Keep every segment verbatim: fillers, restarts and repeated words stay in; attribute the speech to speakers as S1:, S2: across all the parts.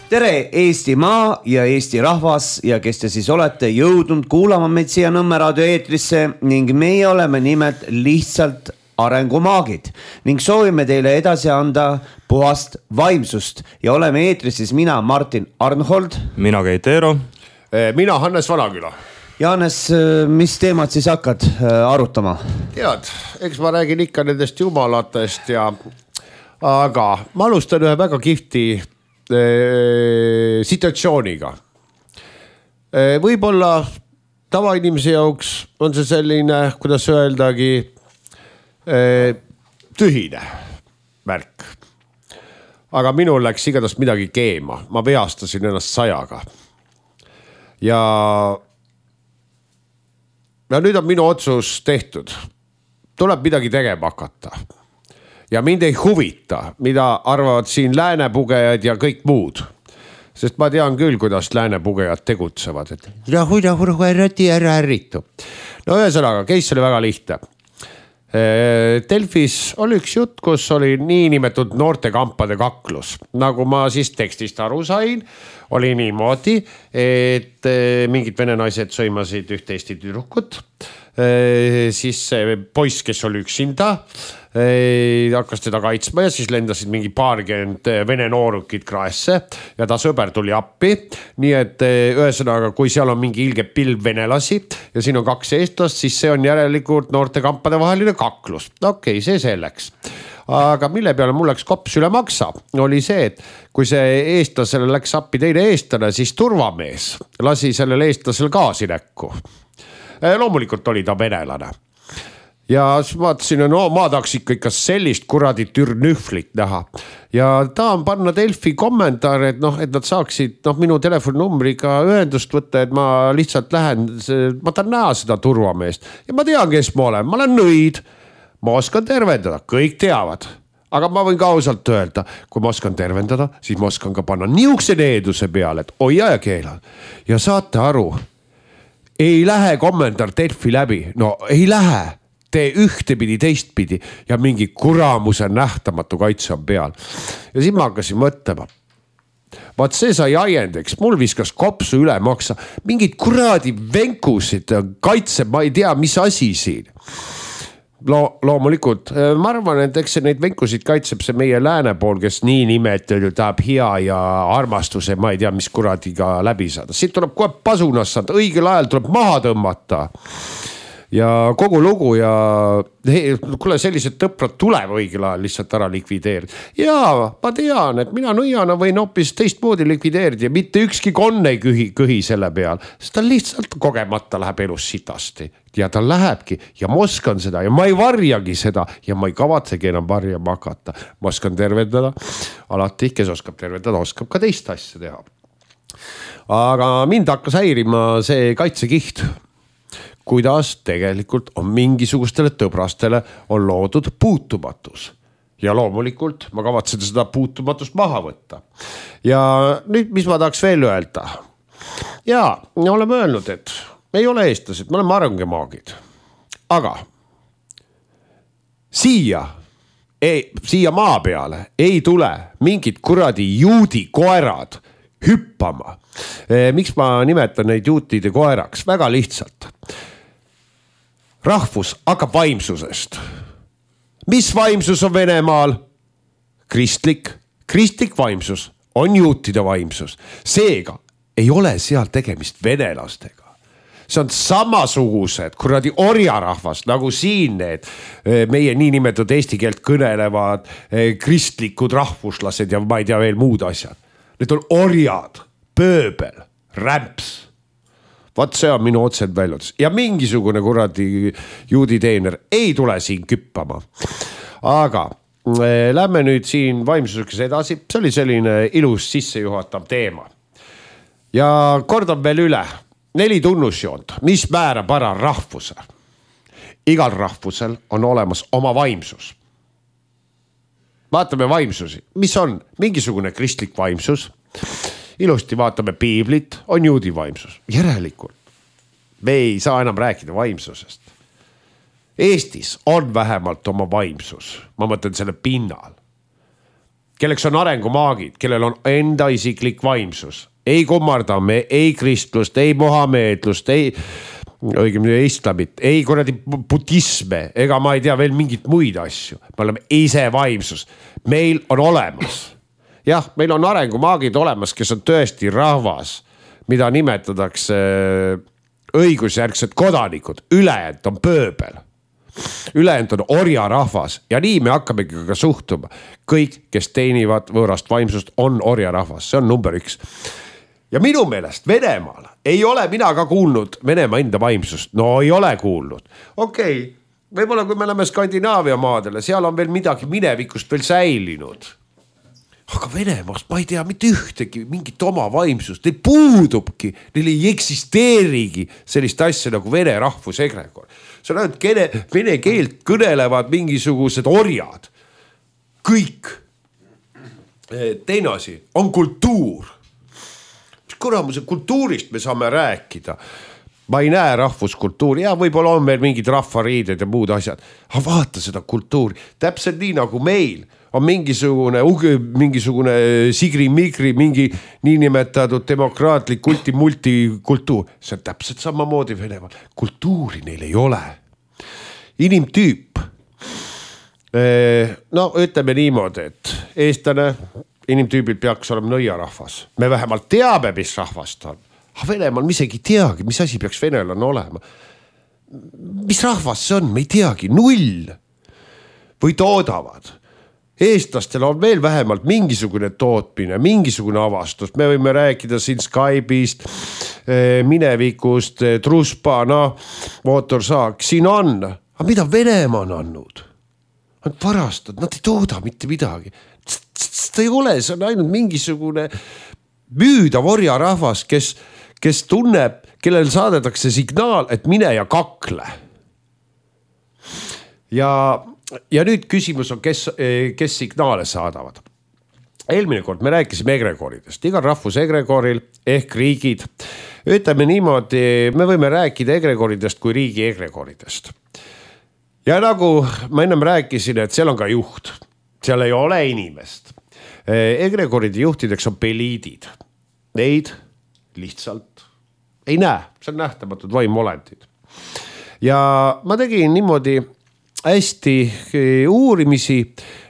S1: tere Eestimaa ja Eesti rahvas ja kes te siis olete jõudnud kuulama meid siia Nõmme raadio eetrisse ning meie oleme nimelt lihtsalt arengumaagid ning soovime teile edasi anda puhast vaimsust ja oleme eetris siis mina Martin Arnhold,
S2: mina Keit Eero,
S3: mina Hannes Vanaküla.
S1: Jaanes, mis teemad siis hakkad arutama?
S3: Tead, eks ma räägin ikka nendest jumalatest ja aga ma alustan ühe väga kihvti situatsiooniga. Võib-olla tavainimese jauks on see selline, kuidas öeldagi, tühine märk. Aga minul läks igatahes midagi keema. Ma veastasin ennast sajaga. Ja, ja nüüd on minu otsus tehtud. Tuleb midagi tegema hakata. Ja mind ei huvita, mida arvavad siin läänepugejad ja kõik muud. Sest ma tean küll, kuidas läänepugejad tegutsevad. Et rahu, rahu, rahu, ärrati, ära ärritu. No ühesõnaga, case oli väga lihtne. Delfis oli üks jutt, kus oli niinimetatud noortekampade kaklus. Nagu ma siis tekstist aru sain, oli niimoodi, et mingid vene naised sõimasid ühte Eesti tüdrukut. Siis see poiss, kes oli üksinda, hakkas teda kaitsma ja siis lendasid mingi paarkümmend vene noorukid kraesse ja ta sõber tuli appi. Nii et ühesõnaga, kui seal on mingi ilge pilv venelasi ja siin on kaks eestlast, siis see on järelikult noortekampade vaheline kaklus. Okei, see selleks. Aga mille peale mul läks kops üle maksa, oli see, et kui see eestlasele läks appi teine eestlane, siis turvamees lasi sellele eestlasele gaasi näkku. Loomulikult oli ta venelane. Ja vaatasin, no ma tahaks ikka ikka sellist kuradi türnühvlit näha. Ja tahan panna Delfi kommentaar, et, noh, et nad saaksid noh, minu telefoninumbriga ühendust võtta, et ma lihtsalt lähen, ma tahan näha seda turvameest. Ja ma tean, kes ma olen, ma olen nõid, ma oskan tervendada, kõik teavad. Aga ma võin ka ausalt öelda, kui ma oskan tervendada, siis ma oskan ka panna niukse needuse peale, et oia ja keela. Ja saate aru, ei lähe kommentaar Delfi läbi, no ei lähe. Tee ühtepidi, teistpidi ja mingi kuramuse nähtamatu kaitse on peal. Ja siis ma hakkasin mõtlema. Vaat see sai ajendeks, mul viskas kopsu üle maksa. Mingid kuradi venkusid kaitse, ma ei tea, mis asi siin. Lo, loomulikult, ma arvan, et eks see neid venkusid kaitseb see meie lääne pool, kes nii nimetud tahab hea ja armastuse, ma ei tea, mis kuradiga läbi saada. Siit tuleb kohe pasunas saada, õigel ajal tuleb maha tõmmata. Ja kogu lugu ja hei, kuule sellised tõprad tuleb õigel ajal lihtsalt ära likvideerida. Ja ma tean, et mina nõiana võin hoopis teistmoodi likvideerida ja mitte ükski konn ei kühi, kühi selle peal. Sest ta lihtsalt kogemata läheb elus sitasti ja ta lähebki ja ma oskan seda ja ma ei varjagi seda ja ma ei kavatsegi enam varjama hakata. Ma oskan tervendada, alati kes oskab tervendada, oskab ka teist asja teha. Aga mind hakkas häirima see kaitsekiht. Kuidas tegelikult on mingisugustele tõbrastele on loodud puutumatus. Ja loomulikult ma kavatsen seda puutumatust maha võtta. Ja nüüd, mis ma tahaks veel öelda? Ja, me oleme öelnud, et me ei ole eestlased, me oleme arengemaagid. Aga siia, ei, siia maa peale ei tule mingid kuradi juudi koerad hüppama. Miks ma nimetan neid juutide koeraks? Väga lihtsalt. Rahvus hakkab vaimsusest. Mis vaimsus on Venemaal? Kristlik. Kristlik vaimsus on juutide vaimsus. Seega ei ole seal tegemist venelastega. See on samasugused kuradi orjarahvas, nagu siin need meie niinimetatud eesti keelt kõnelevad kristlikud rahvuslased ja ma ei tea veel muud asjad. Need on orjad, pööbel, rämps. Vaat see on minu otsed väljades. Ja mingisugune kuradi juudi teener ei tule siin küppama. Aga äh, lähme nüüd siin vaimsuseks edasi. See oli selline ilus sissejuhatav teema. Ja kordan veel üle. Neli tunnusjoont, mis määrab ära rahvuse. Igal rahvusel on olemas oma vaimsus. Vaatame vaimsusi. Mis on mingisugune kristlik vaimsus? Ilusti vaatame piiblit, on juudi vaimsus. Järelikult me ei saa enam rääkida vaimsusest. Eestis on vähemalt oma vaimsus. Ma mõtlen selle pinnal. kelleks on arengumaagid, kellel on enda isiklik vaimsus. Ei kummardame, ei kristlust, ei mohameedlust, ei õigemini islamit, ei kuradi budisme, ega ma ei tea veel mingit muid asju. Me oleme ise vaimsus. Meil on olemas. Jah, meil on arengumaagid olemas, kes on tõesti rahvas, mida nimetatakse õigusjärgsed kodanikud. Ülejäänud on pööbel. Ülejäänud on orja rahvas ja nii me hakkamegi ka suhtuma. Kõik, kes teenivad võõrast vaimsust, on orja rahvas. See on number üks. Ja minu meelest Venemaal ei ole mina ka kuulnud Venemaa enda vaimsust. No ei ole kuulnud. Okei, okay. Võib-olla kui me oleme Skandinaavia maadele, seal on veel midagi minevikust veel säilinud. Aga Venemaast ma ei tea mitte ühtegi mingit oma vaimsust. Neil puudubki, neil ei eksisteerigi sellist asja nagu vene rahvusegregor. See on ainult kene, vene keelt kõnelevad mingisugused orjad. Kõik. Teine asi on kultuur. Kuramuse kultuurist me saame rääkida. Ma ei näe rahvuskultuuri ja võib-olla on meil mingid rahvariided ja muud asjad. Aga vaata seda kultuuri. Täpselt nii nagu meil on mingisugune, mingisugune sigri-migri, mingi niinimetatud demokraatlik kulti-multikultuur. See on täpselt samamoodi Venemaal. Kultuuri neil ei ole. Inimtüüp. No ütleme niimoodi, et eestlane inimtüübil peaks olema nõiarahvas. Me vähemalt teame, mis rahvast on. Aga Venemaal me isegi teagi, mis asi peaks venelane olema. Mis rahvas see on? Me ei teagi. Null. Või toodavad. Eestlastel on veel vähemalt mingisugune tootmine, mingisugune avastus. Me võime rääkida siin Skype'ist, minevikust, Truspa, no, mootorsaak. Siin on. Aga mida Venemaa on andnud? Nad varastad, nad ei tooda mitte midagi. Seda ei ole, see on ainult mingisugune müüdav orja rahvas, kes, kes tunneb, kellel saadetakse signaal, et mine ja kakle. Ja, ja nüüd küsimus on, kes, kes signaale saadavad. Eelmine kord me rääkisime egregoridest. Igal rahvus egregoril ehk riigid. Ütleme niimoodi, me võime rääkida egregoridest kui riigi egregoridest. Ja nagu ma ennem rääkisin, et seal on ka juht. Seal ei ole inimest. Egregoride juhtideks on peliidid. Neid lihtsalt ei näe. See on nähtamatud vaimolendid. Ja ma tegin niimoodi hästi uurimisi,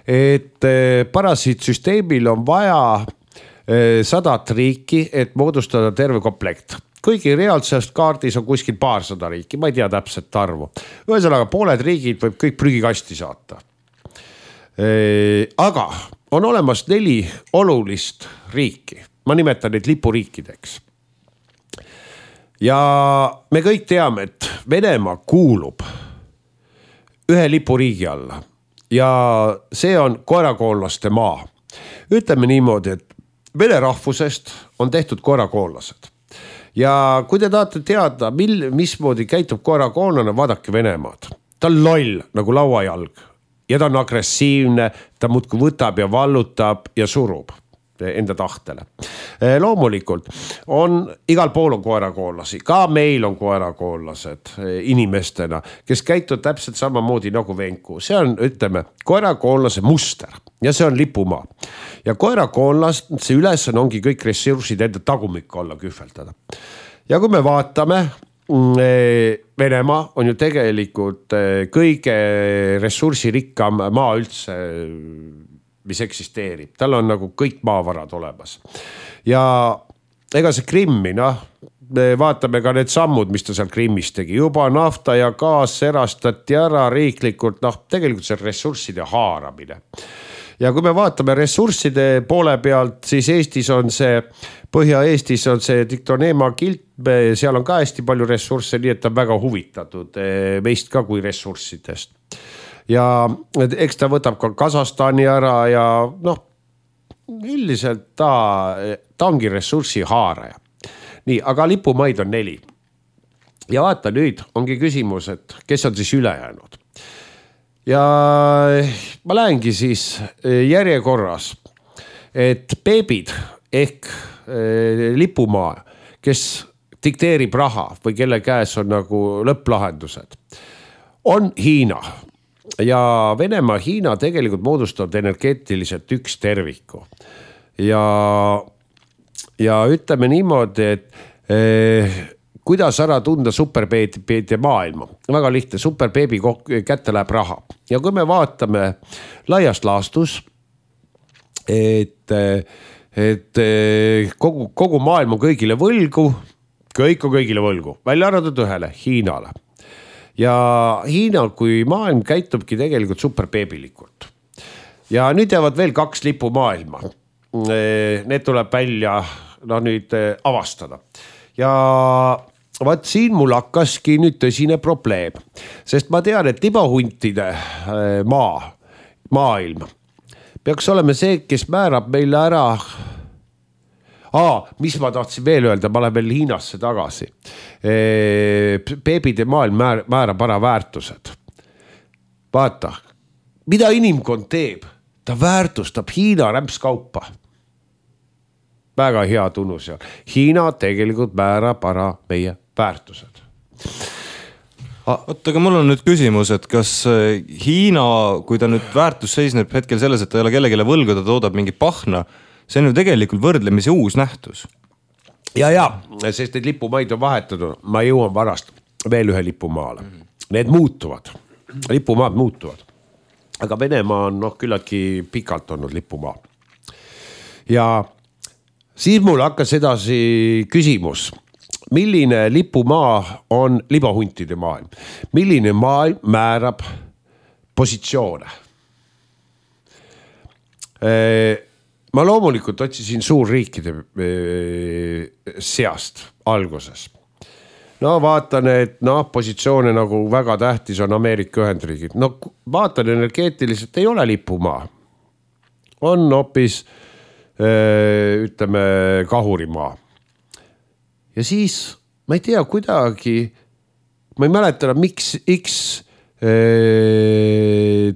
S3: et parasiitsüsteemil on vaja sadat riiki, et moodustada terve komplekt. Kuigi reaalsest kaardis on kuskil paarsada riiki, ma ei tea täpselt arvu. Ühesõnaga, pooled riigid võib kõik prügikasti saata. Aga on olemas neli olulist riiki. Ma nimetan neid lipuriikideks. Ja me kõik teame, et Venemaa kuulub ühe lipuriigi alla. Ja see on koerakoonlaste maa. Ütleme niimoodi, et vene rahvusest on tehtud koerakoonlased. Ja kui te tahate teada, mil, mismoodi käitub koerakoonlane, vaadake Venemaad. Ta on loll nagu lauajalg. Ja ta on agressiivne, ta muudkui võtab ja vallutab ja surub enda tahtele. Loomulikult on igal pool on koerakoonlasi, ka meil on koerakoonlased inimestena, kes käitud täpselt samamoodi nagu Venku. See on, ütleme, koerakoonlase muster ja see on lipumaa. Ja koerakoonlas, see üles ongi kõik ressursid enda tagumikku alla kühveldada. Ja kui me vaatame, Venemaa on ju tegelikult kõige ressursirikkam maa üldse, mis eksisteerib. Tal on nagu kõik maavarad olemas. Ja ega see Krimmi, noh, vaatame ka need sammud, mis ta seal Krimmis tegi. Juba nafta ja gaas erastati ära riiklikult, noh, tegelikult see ressursside haaramine. Ja kui me vaatame ressursside poole pealt, siis Eestis on see, Põhja-Eestis on see Diktoneema kilt, seal on ka hästi palju ressursse, nii et ta on väga huvitatud meist ka kui ressurssidest. Ja eks ta võtab ka Kasahstani ära ja noh, üldiselt ta, ta ongi ressurssi haaraja. Nii, aga lipumaid on neli. Ja vaata nüüd ongi küsimus, et kes on siis ülejäänud. Ja ma lähengi siis järjekorras, et beebid ehk lipumaa, kes dikteerib raha või kelle käes on nagu lõpplahendused, on Hiina. ja Venemaa, Hiina tegelikult moodustavad energeetiliselt üks terviku. Ja, ja ütleme niimoodi, et eh, kuidas ära tunda superbeebide maailma? Väga lihtne, superbeebi kätte läheb raha. Ja kui me vaatame laiast laastus, et, et kogu, kogu maailm on kõigile võlgu, kõik on kõigile võlgu, välja arvatud ühele, Hiinale. Ja Hiina kui maailm käitubki tegelikult superbeebilikult. Ja nüüd jäävad veel kaks lipu maailma. Need tuleb välja no, nüüd avastada. Ja vaat siin mul hakkaski nüüd tõsine probleem, sest ma tean, et libahuntide maa, maailm peaks olema see, kes määrab meile ära. Aa, mis ma tahtsin veel öelda, ma lähen veel Hiinasse tagasi. Beebide maailm määrab ära väärtused. Vaata, mida inimkond teeb? Ta väärtustab Hiina rämpskaupa. Väga hea tunnus ja Hiina tegelikult määrab ära meie väärtused.
S2: Oot, aga mul on nüüd küsimus, et kas Hiina, kui ta nüüd väärtus seisneb hetkel selles, et ta ei ole kellegile võlgu, ta toodab mingi pahna, see on ju tegelikult võrdlemisi uus nähtus.
S3: Ja, ja, sest need lipumaid on vahetatud. Ma jõuan varast veel ühe lipumaale. Need muutuvad. Lipumaad muutuvad. Aga Venemaa on noh, küllaltki pikalt olnud lipumaa. Ja siis mul hakkas edasi küsimus, milline lipumaa on libahuntide maailm? Milline maailm määrab positsioone? Ma loomulikult otsisin suurriikide seast alguses. No vaatan, et no, positsioone nagu väga tähtis on Ameerika Ühendriigid. No vaatan energeetiliselt ei ole lipumaa. On hoopis ütleme kahurimaa. Ja siis ma ei tea kuidagi, ma ei mäleta, miks X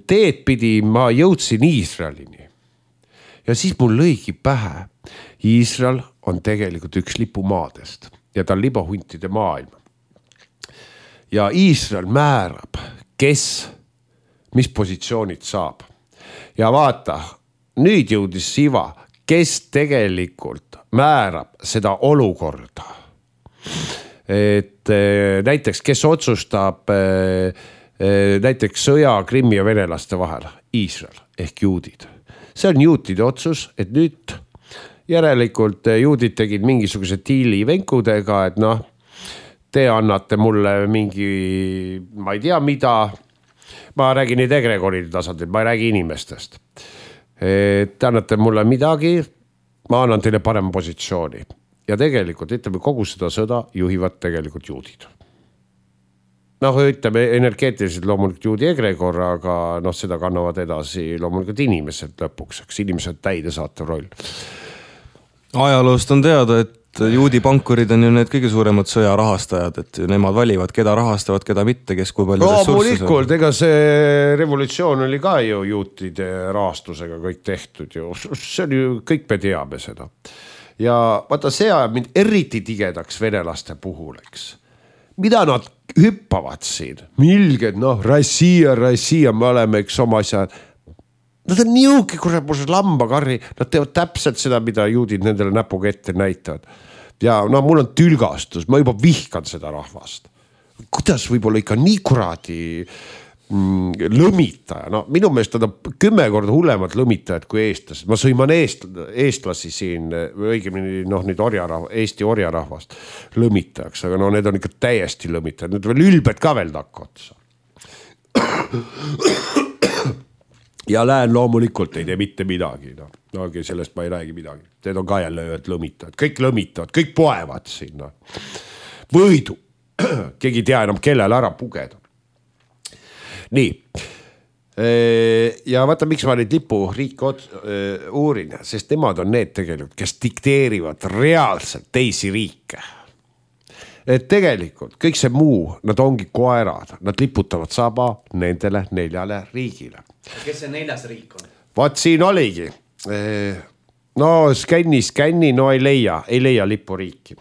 S3: teed pidi ma jõudsin Iisraelini. Ja siis mul lõigi pähe. Iisrael on tegelikult üks lipumaadest ja ta on libahuntide maailm. Ja Iisrael määrab, kes, mis positsioonid saab. Ja vaata, nüüd jõudis Siva, kes tegelikult määrab seda olukorda. Et näiteks, kes otsustab näiteks sõja Krimmi ja venelaste vahel? Iisrael ehk juudid. See on juutide otsus, et nüüd järelikult juudid tegid mingisuguse tiili venkudega, et noh, te annate mulle mingi, ma ei tea mida, ma räägin neid egregoride tasandil, ma ei räägi inimestest. Te annate mulle midagi, ma annan teile parema positsiooni. Ja tegelikult, ütleme, kogu seda sõda juhivad tegelikult juudid. Noh, ütleme, energeetiliselt loomulikult juudi egregor, aga noh, seda kannavad edasi loomulikult inimesed lõpuks, eks inimesed täidesaatev roll.
S2: Ajaloost on teada, et juudi pankurid on ju need kõige suuremad sõja rahastajad, et nemad valivad, keda rahastavad, keda mitte, kes kui palju ressurssi.
S3: Loomulikult, ega see revolutsioon oli ka ju juutide rahastusega kõik tehtud ju. See oli ju, kõik me teame seda. Ja vaata, see ajab mind eriti tigedaks venelaste puhul, eks. Mida nad hüppavad siin? Milged, noh, Rassia, Rassia, me oleme eks oma asja. Nad on niuki, kus lambakarri, nad teevad täpselt seda, mida juudid nendele näpuga ette näitavad. Ja no mul on tülgastus, ma juba vihkan seda rahvast. Kuidas võib-olla ikka nii kuradi mm, lõmitaja? No minu meelest on kümme korda hullemad lõmitajad kui eestlased. Ma sõiman eest, eestlasi siin, õigemini noh, nüüd orjarahva, Eesti orjarahvast lõmitajaks, aga no need on ikka täiesti lõmitajad. Need veel ülbed ka veel takka otsa. Ja lähen loomulikult ei tee mitte midagi. No, no sellest ma ei räägi midagi. Need on ka jälle ühed lõmitajad. Kõik lõmitavad, kõik poevad sinna. Võidu. Keegi tea enam kellele ära pugeda. Nii. Ja vaata, miks ma neid lipu riike uurin, sest nemad on need tegelikult, kes dikteerivad reaalselt teisi riike. Et tegelikult kõik see muu, nad ongi koerad, nad liputavad saba nendele neljale riigile.
S1: Kes see neljas riik on?
S3: Vaat siin oligi. No skänni, skänni, no ei leia, ei leia lipuriiki.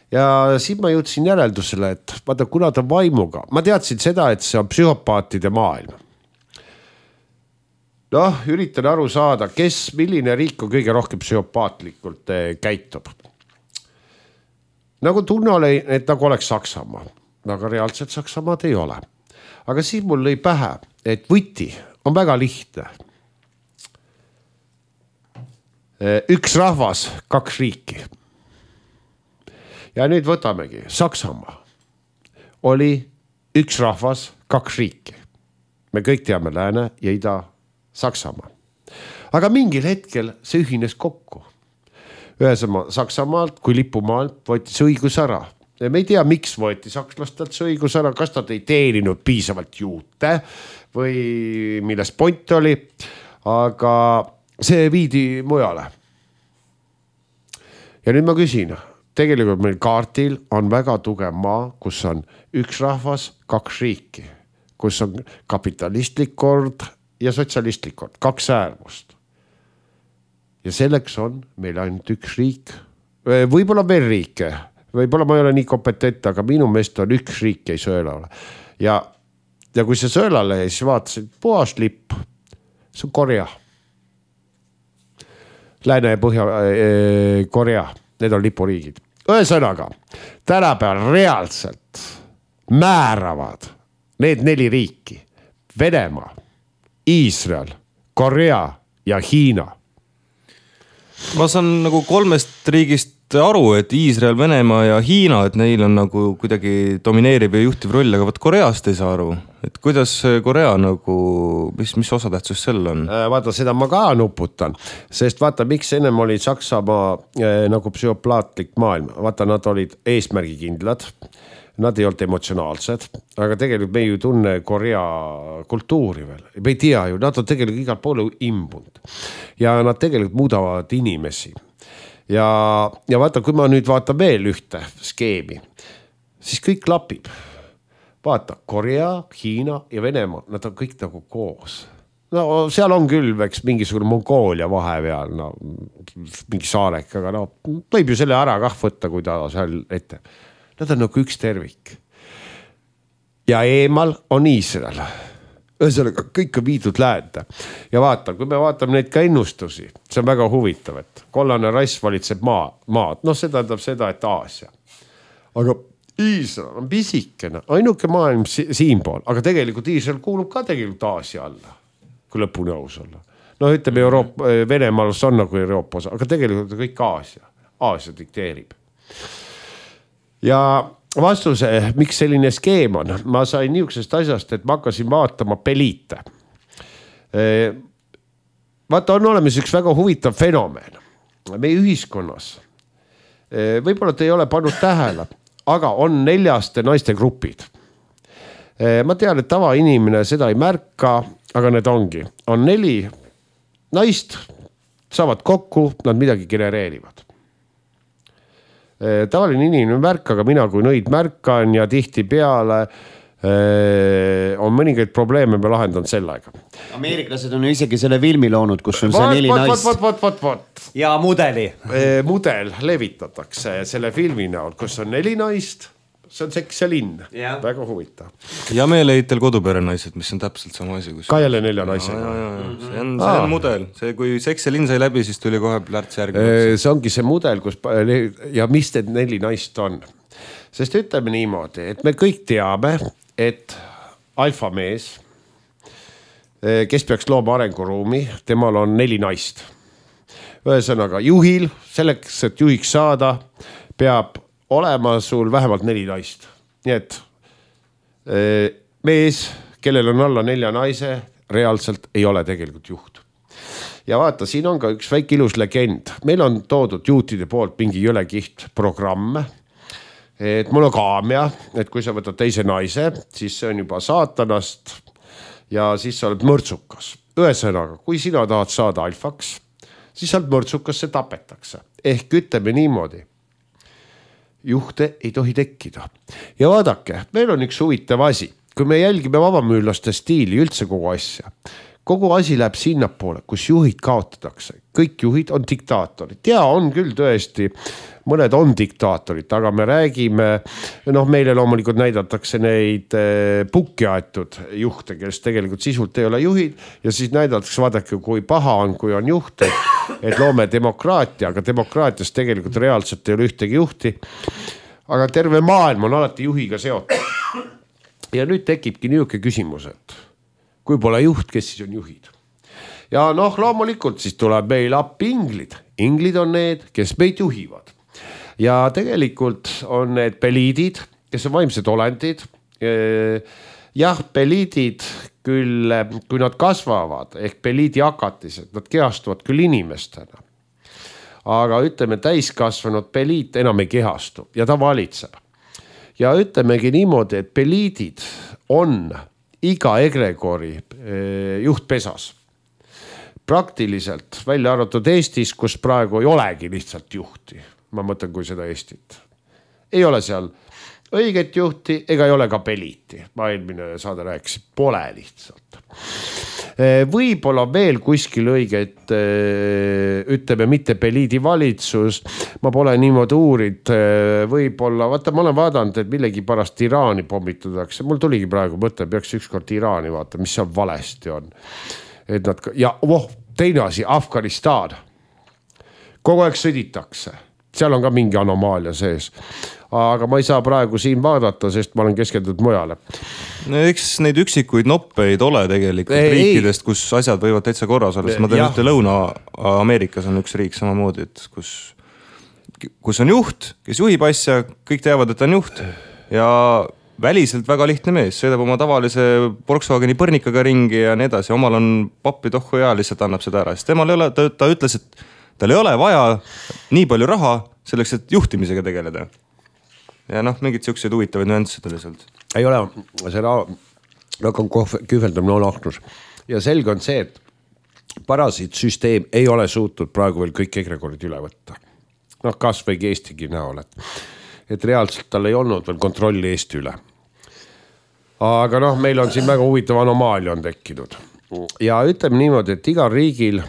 S3: Ja siin ma jõudsin järeldusele, et vaata, kuna ta vaimuga, ma teadsin seda, et see on psühhopaatide maailm. noh, üritan aru saada, kes, milline riik on kõige rohkem psühhopaatlikult käitub. Nagu tunne oli, et nagu oleks Saksamaa, aga reaalselt Saksamaad ei ole. Aga siis mul lõi pähe, et võti on väga lihtne. Üks rahvas, kaks riiki. Ja nüüd võtamegi, Saksamaa oli üks rahvas, kaks riiki. Me kõik teame Lääne ja Ida Saksamaa. Aga mingil hetkel see ühines kokku. Ühesema Saksamaalt kui lipumaalt võeti see õigus ära. Ja me ei tea, miks võeti sakslastelt see õigus ära, kas nad ei teeninud piisavalt juute või milles point oli, aga see viidi mujale. Ja nüüd ma küsin, tegelikult meil kaartil on väga tugev maa, kus on üks rahvas, kaks riiki, kus on kapitalistlik kord ja sotsialistlik kord, kaks äärmust. Ja selleks on meil ainult üks riik, võib-olla veel riike, võib-olla ma ei ole nii kompetent, aga minu meest on üks riik ei sõela ole. Ja, ja kui see sõelale, siis vaatasid puhas lipp, see on Korea. Lääne ja Põhja-Korea, need on lipuriigid. Ühesõnaga, tänapäeval reaalselt määravad need neli riiki, Venemaa, Iisrael, Korea ja Hiina.
S2: Ma saan nagu kolmest riigist aru, et Iisrael, Venemaa ja Hiina, et neil on nagu kuidagi domineeriv ja juhtiv roll, aga võt Koreast ei saa aru. Et kuidas Korea nagu, mis, mis osatähtsus sel on?
S3: Vaata, seda ma ka nuputan, sest vaata, miks ennem oli Saksamaa eh, nagu psühhoplaatlik maailm. Vaata, nad olid eesmärgikindlad, nad ei olnud emotsionaalsed, aga tegelikult me ju tunne Korea kultuuri veel. Me ei tea ju, nad on tegelikult igal poole imbunud ja nad tegelikult muudavad inimesi. Ja, ja vaata, kui ma nüüd vaatan veel ühte skeemi, siis kõik klapib. Vaata, Korea, Hiina ja Venemaa, nad on kõik nagu koos. No seal on küll veks mingisugune Mongoolia vahepeal, no, mingi saarek, aga no, võib ju selle ära kah võtta, kui ta seal ette. Nad on nagu üks tervik. Ja eemal on Iisrael. Ühesõnaga, kõik on viidud läände. Ja vaata, kui me vaatame neid ka ennustusi, see on väga huvitav, et kollane rass valitseb maa, maad. No see tähendab seda, et Aasia. Aga Iisrael on pisikene, ainuke maailm si siinpool, aga tegelikult Iisrael kuulub ka tegelikult Aasia alla, kui lõpuni aus olla. No ütleme, Euroopa, Venemaal on nagu Euroopa osa, aga tegelikult on kõik Aasia. Aasia dikteerib. Ja vastuse, miks selline skeem on, ma sain niisugusest asjast, et ma hakkasin vaatama peliite. Vaata, on olemas üks väga huvitav fenomen meie ühiskonnas. Võib-olla te ei ole pannud tähele, aga on neljaste naiste grupid. Ma tean, et tava inimene seda ei märka, aga need ongi. On neli naist, saavad kokku, nad midagi genereerivad. Tavaline inimene märk, aga mina kui nõid märkan ja tihti peale on mõningaid probleeme me lahendanud selle aega.
S1: Ameeriklased on isegi selle filmi loonud, kus on see
S3: Vot,
S1: neli
S3: vot,
S1: naist.
S3: vot, vot, vot, vot.
S1: Ja mudeli.
S3: Mudel levitatakse selle filmi näol, kus on neli naist. See on sekselinn.
S1: Ja.
S3: Väga huvitav.
S2: Ja meeleitel koduperenaised, mis on täpselt sama asi. Kus...
S3: Ka jälle nelja naise.
S2: Ja, ja, ja. See on, see on mudel. See, kui sekselinn sai läbi, siis tuli kohe plärts järgi.
S3: See ongi see mudel, kus ja mis need neli naist on. Sest ütleme niimoodi, et me kõik teame, et alfamees, kes peaks looma arenguruumi, temal on neli naist. Ühesõnaga, juhil, selleks, et juhiks saada, peab olema sul vähemalt neli naist. Nii et mees, kellel on alla nelja naise, reaalselt ei ole tegelikult juht. Ja vaata, siin on ka üks väike ilus legend. Meil on toodud juutide poolt mingi jõlekiht programme. Et mul on kaamia, et kui sa võtad teise naise, siis see on juba saatanast ja siis sa oled mõrtsukas. Ühesõnaga, kui sina tahad saada alfaks, siis sa oled mõrtsukas, see tapetakse. Ehk ütleme niimoodi. Juhte ei tohi tekkida. Ja vaadake, meil on üks huvitav asi. Kui me jälgime vabamüürlaste stiili üldse kogu asja. kogu asi läheb sinnapoole, kus juhid kaotatakse. Kõik juhid on diktaatorid. Ja on küll tõesti, mõned on diktaatorid, aga me räägime, noh meile loomulikult näidatakse neid pukki aetud juhte, kes tegelikult sisult ei ole juhid ja siis näidatakse, vaadake, kui paha on, kui on juht, et, et loome demokraatia, aga demokraatias tegelikult reaalselt ei ole ühtegi juhti. Aga terve maailm on alati juhiga seotud. Ja nüüd tekibki niisugune küsimus, et kui pole juht, kes siis on juhid? Ja noh, loomulikult siis tuleb meil appi inglid. Inglid on need, kes meid juhivad. Ja tegelikult on need peliidid, kes on vaimsed olendid. Jah, peliidid küll, kui nad kasvavad, ehk peliidi hakatised, nad kehastuvad küll inimestena. Aga ütleme, täiskasvanud peliit enam ei kehastu ja ta valitseb. Ja ütlemegi niimoodi, et peliidid on iga egregori juhtpesas. Praktiliselt välja arvatud Eestis, kus praegu ei olegi lihtsalt juhti. Ma mõtlen, kui seda Eestit. Ei ole seal õiget juhti ega ei ole ka peliiti. Ma eelmine saade rääkis, pole lihtsalt. Võib-olla veel kuskil õiget, ütleme mitte peliidi valitsus, ma pole niimoodi uurid, võib-olla, vaata ma olen vaadanud, et millegi pärast Iraani pommitatakse, mul tuligi praegu mõte, peaks ükskord Iraani vaata, mis seal valesti on. Et nad, ja oh, teine asi, Afganistan, kogu aeg sõditakse, seal on ka mingi anomaalia sees. Aga ma ei saa praegu siin vaadata, sest ma olen keskendunud mujale.
S2: No, eks neid üksikuid noppeid ole tegelikult ei, riikidest, kus asjad võivad täitsa korras olla. Ma tean ühte Lõuna-Ameerikas on üks riik samamoodi, et kus, kus on juht, kes juhib asja, kõik teavad, et on juht ja väliselt väga lihtne mees, sõidab oma tavalise Volkswageni põrnikaga ringi ja nii edasi. Omal on pappi tohku ja lihtsalt annab seda ära. Sest temal ei ole, ta, ta ütles, et tal ei ole vaja nii palju raha selleks, et juhtimisega tegeleda. Ja noh, mingid siuksed huvitavad nüansid lihtsalt.
S3: Ei ole, see on kühveldamine on ahnus. Ja selge on see, et parasiitsüsteem ei ole suutnud praegu veel kõik egregorid üle võtta. Noh, kas või Eestigi näol, et, et reaalselt tal ei olnud veel kontrolli Eesti üle. Aga noh, meil on siin väga huvitav anomaalia on tekkinud. Ja ütleme niimoodi, et igal riigil,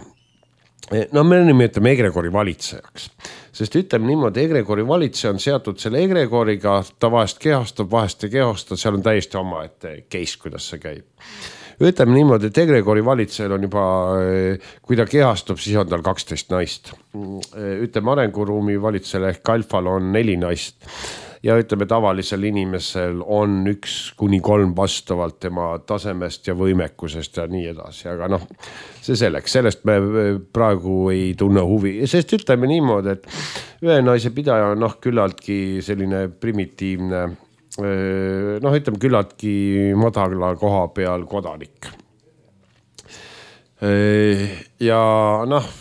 S3: no me nimetame egregori valitsejaks. Sest ütleme niimoodi, egregori valitseja on seatud selle egregoriga, ta vahest kehastab, vahest ei kehasta, seal on täiesti oma ette case, kuidas see käib. Ütleme niimoodi, et egregori valitsejal on juba, kui ta kehastub, siis on tal kaksteist naist. Ütleme arenguruumi valitsejal ehk alfal on neli naist. Ja ütleme, tavalisel inimesel on üks kuni kolm vastavalt tema tasemest ja võimekusest ja nii edasi. Aga noh, see selleks, sellest me praegu ei tunne huvi. Sest ütleme niimoodi, et ühe naise pidaja on noh, küllaltki selline primitiivne, noh ütleme küllaltki madala koha peal kodanik. Ja noh,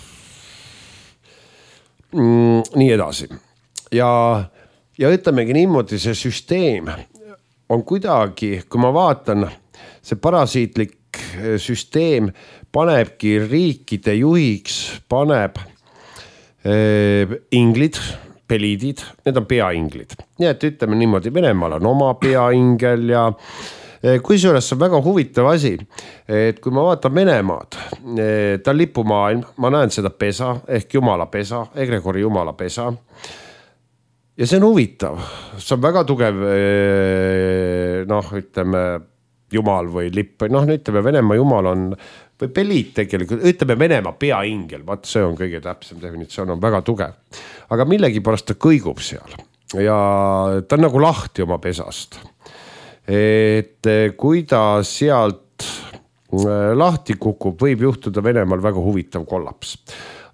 S3: nii edasi. Ja Ja ütlemegi niimoodi, see süsteem on kuidagi, kui ma vaatan, see parasiitlik süsteem panebki riikide juhiks, paneb eh, inglid, peliidid, need on peainglid. Nii et ütleme niimoodi, Venemaal on oma peaingel ja eh, kui see on väga huvitav asi, et kui ma vaatan Venemaad, eh, ta on lipumaailm, ma näen seda pesa ehk jumala pesa, egregori jumala pesa. Ja see on huvitav, see on väga tugev, noh, ütleme, jumal või lipp, noh, ütleme, Venemaa jumal on, või peliit tegelikult, ütleme, Venemaa peaingel, vaat see on kõige täpsem definitsioon, on väga tugev. Aga millegi pärast ta kõigub seal ja ta on nagu lahti oma pesast. Et kui ta sealt lahti kukub, võib juhtuda Venemaal väga huvitav kollaps.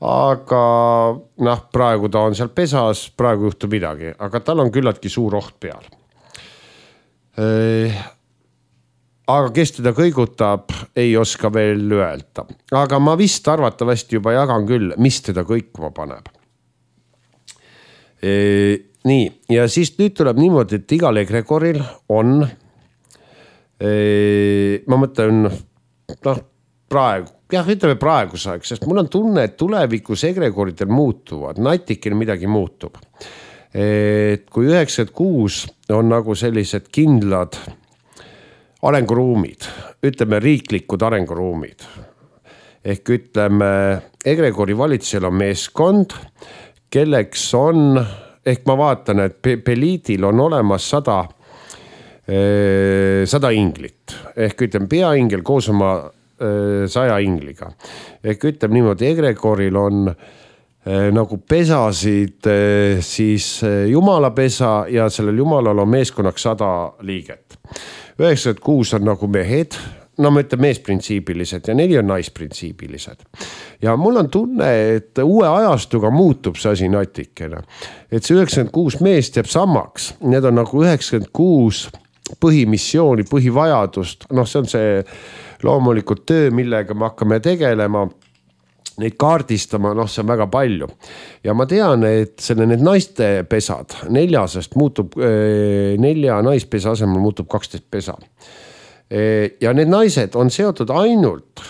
S3: Aga noh, praegu ta on seal pesas, praegu juhtub midagi, aga tal on küllaltki suur oht peal. Aga kes teda kõigutab, ei oska veel öelda. Aga ma vist arvatavasti juba jagan küll, mis teda kõikuma paneb. Nii, ja siis nüüd tuleb niimoodi, et igal egregoril on, ma mõtlen, noh, praegu, jah, ütleme praeguseks, sest mul on tunne, et tulevikus egregoridel muutuvad, natikene midagi muutub. Et kui üheksakümmend kuus on nagu sellised kindlad arenguruumid, ütleme riiklikud arenguruumid, ehk ütleme, egregori valitsusel on meeskond, kelleks on, ehk ma vaatan, et Beliidil on olemas sada, sada inglit, ehk ütleme, peaingel koos oma saja ingliga. Ehk ütleme niimoodi, egregoril on nagu pesasid siis jumala pesa ja sellel jumalal on meeskonnaks sada liiget. üheksakümmend kuus on nagu mehed, no ma ütlen meesprintsiibilised ja neli on naisprintsiibilised. Ja mul on tunne, et uue ajastuga muutub see asi natikene. Et see üheksakümmend kuus meest jääb samaks, need on nagu üheksakümmend kuus põhimissiooni, põhivajadust, noh see on see loomulikult töö, millega me hakkame tegelema, neid kaardistama, noh see on väga palju. Ja ma tean, et selle need naiste pesad neljasest muutub, nelja naispesa asemel muutub kaksteist pesa. Ja need naised on seotud ainult,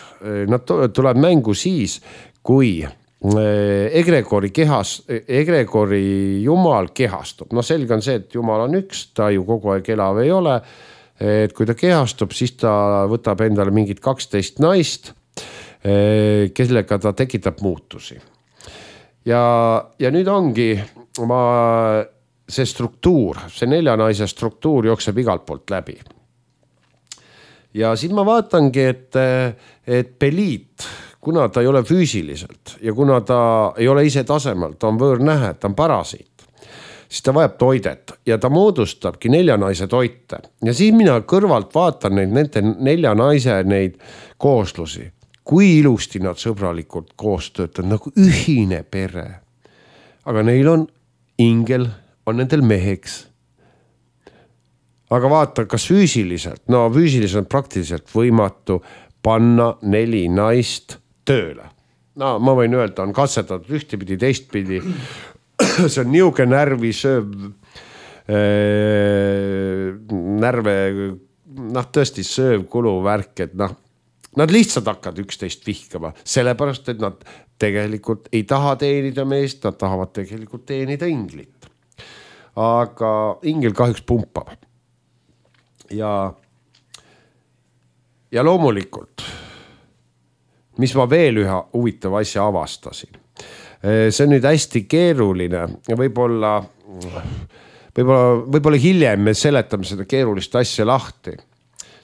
S3: nad tuleb mängu siis, kui egregori kehas, egregori jumal kehastub. No selge on see, et jumal on üks, ta ju kogu aeg elav ei ole. Et kui ta kehastub, siis ta võtab endale mingid kaksteist naist, kellega ta tekitab muutusi. Ja, ja nüüd ongi ma, see struktuur, see nelja naise struktuur jookseb igalt poolt läbi. Ja siin ma vaatangi, et, et Beliit, kuna ta ei ole füüsiliselt ja kuna ta ei ole ise tasemel, ta on võõrnähe, ta on parasiit, siis ta vajab toidet ja ta moodustabki nelja naise toite. Ja siis mina kõrvalt vaatan neid, nende nelja naise neid kooslusi. Kui ilusti nad sõbralikult koos töötavad, nagu ühine pere. Aga neil on ingel, on nendel meheks. Aga vaata, kas füüsiliselt, no füüsiliselt on praktiliselt võimatu panna neli naist tööle. No ma võin öelda, on katsetatud ühtepidi, teistpidi. See on niuke närvi sööv äh, närve, noh tõesti sööv kuluvärk, et noh, nad lihtsalt hakkavad üksteist vihkama, sellepärast, et nad tegelikult ei taha teenida meest, nad tahavad tegelikult teenida inglit. Aga ingel kahjuks pumpab. Ja, ja loomulikult, mis ma veel ühe huvitava asja avastasin. See on nüüd hästi keeruline ja võib-olla, võib-olla, võib-olla hiljem me seletame seda keerulist asja lahti.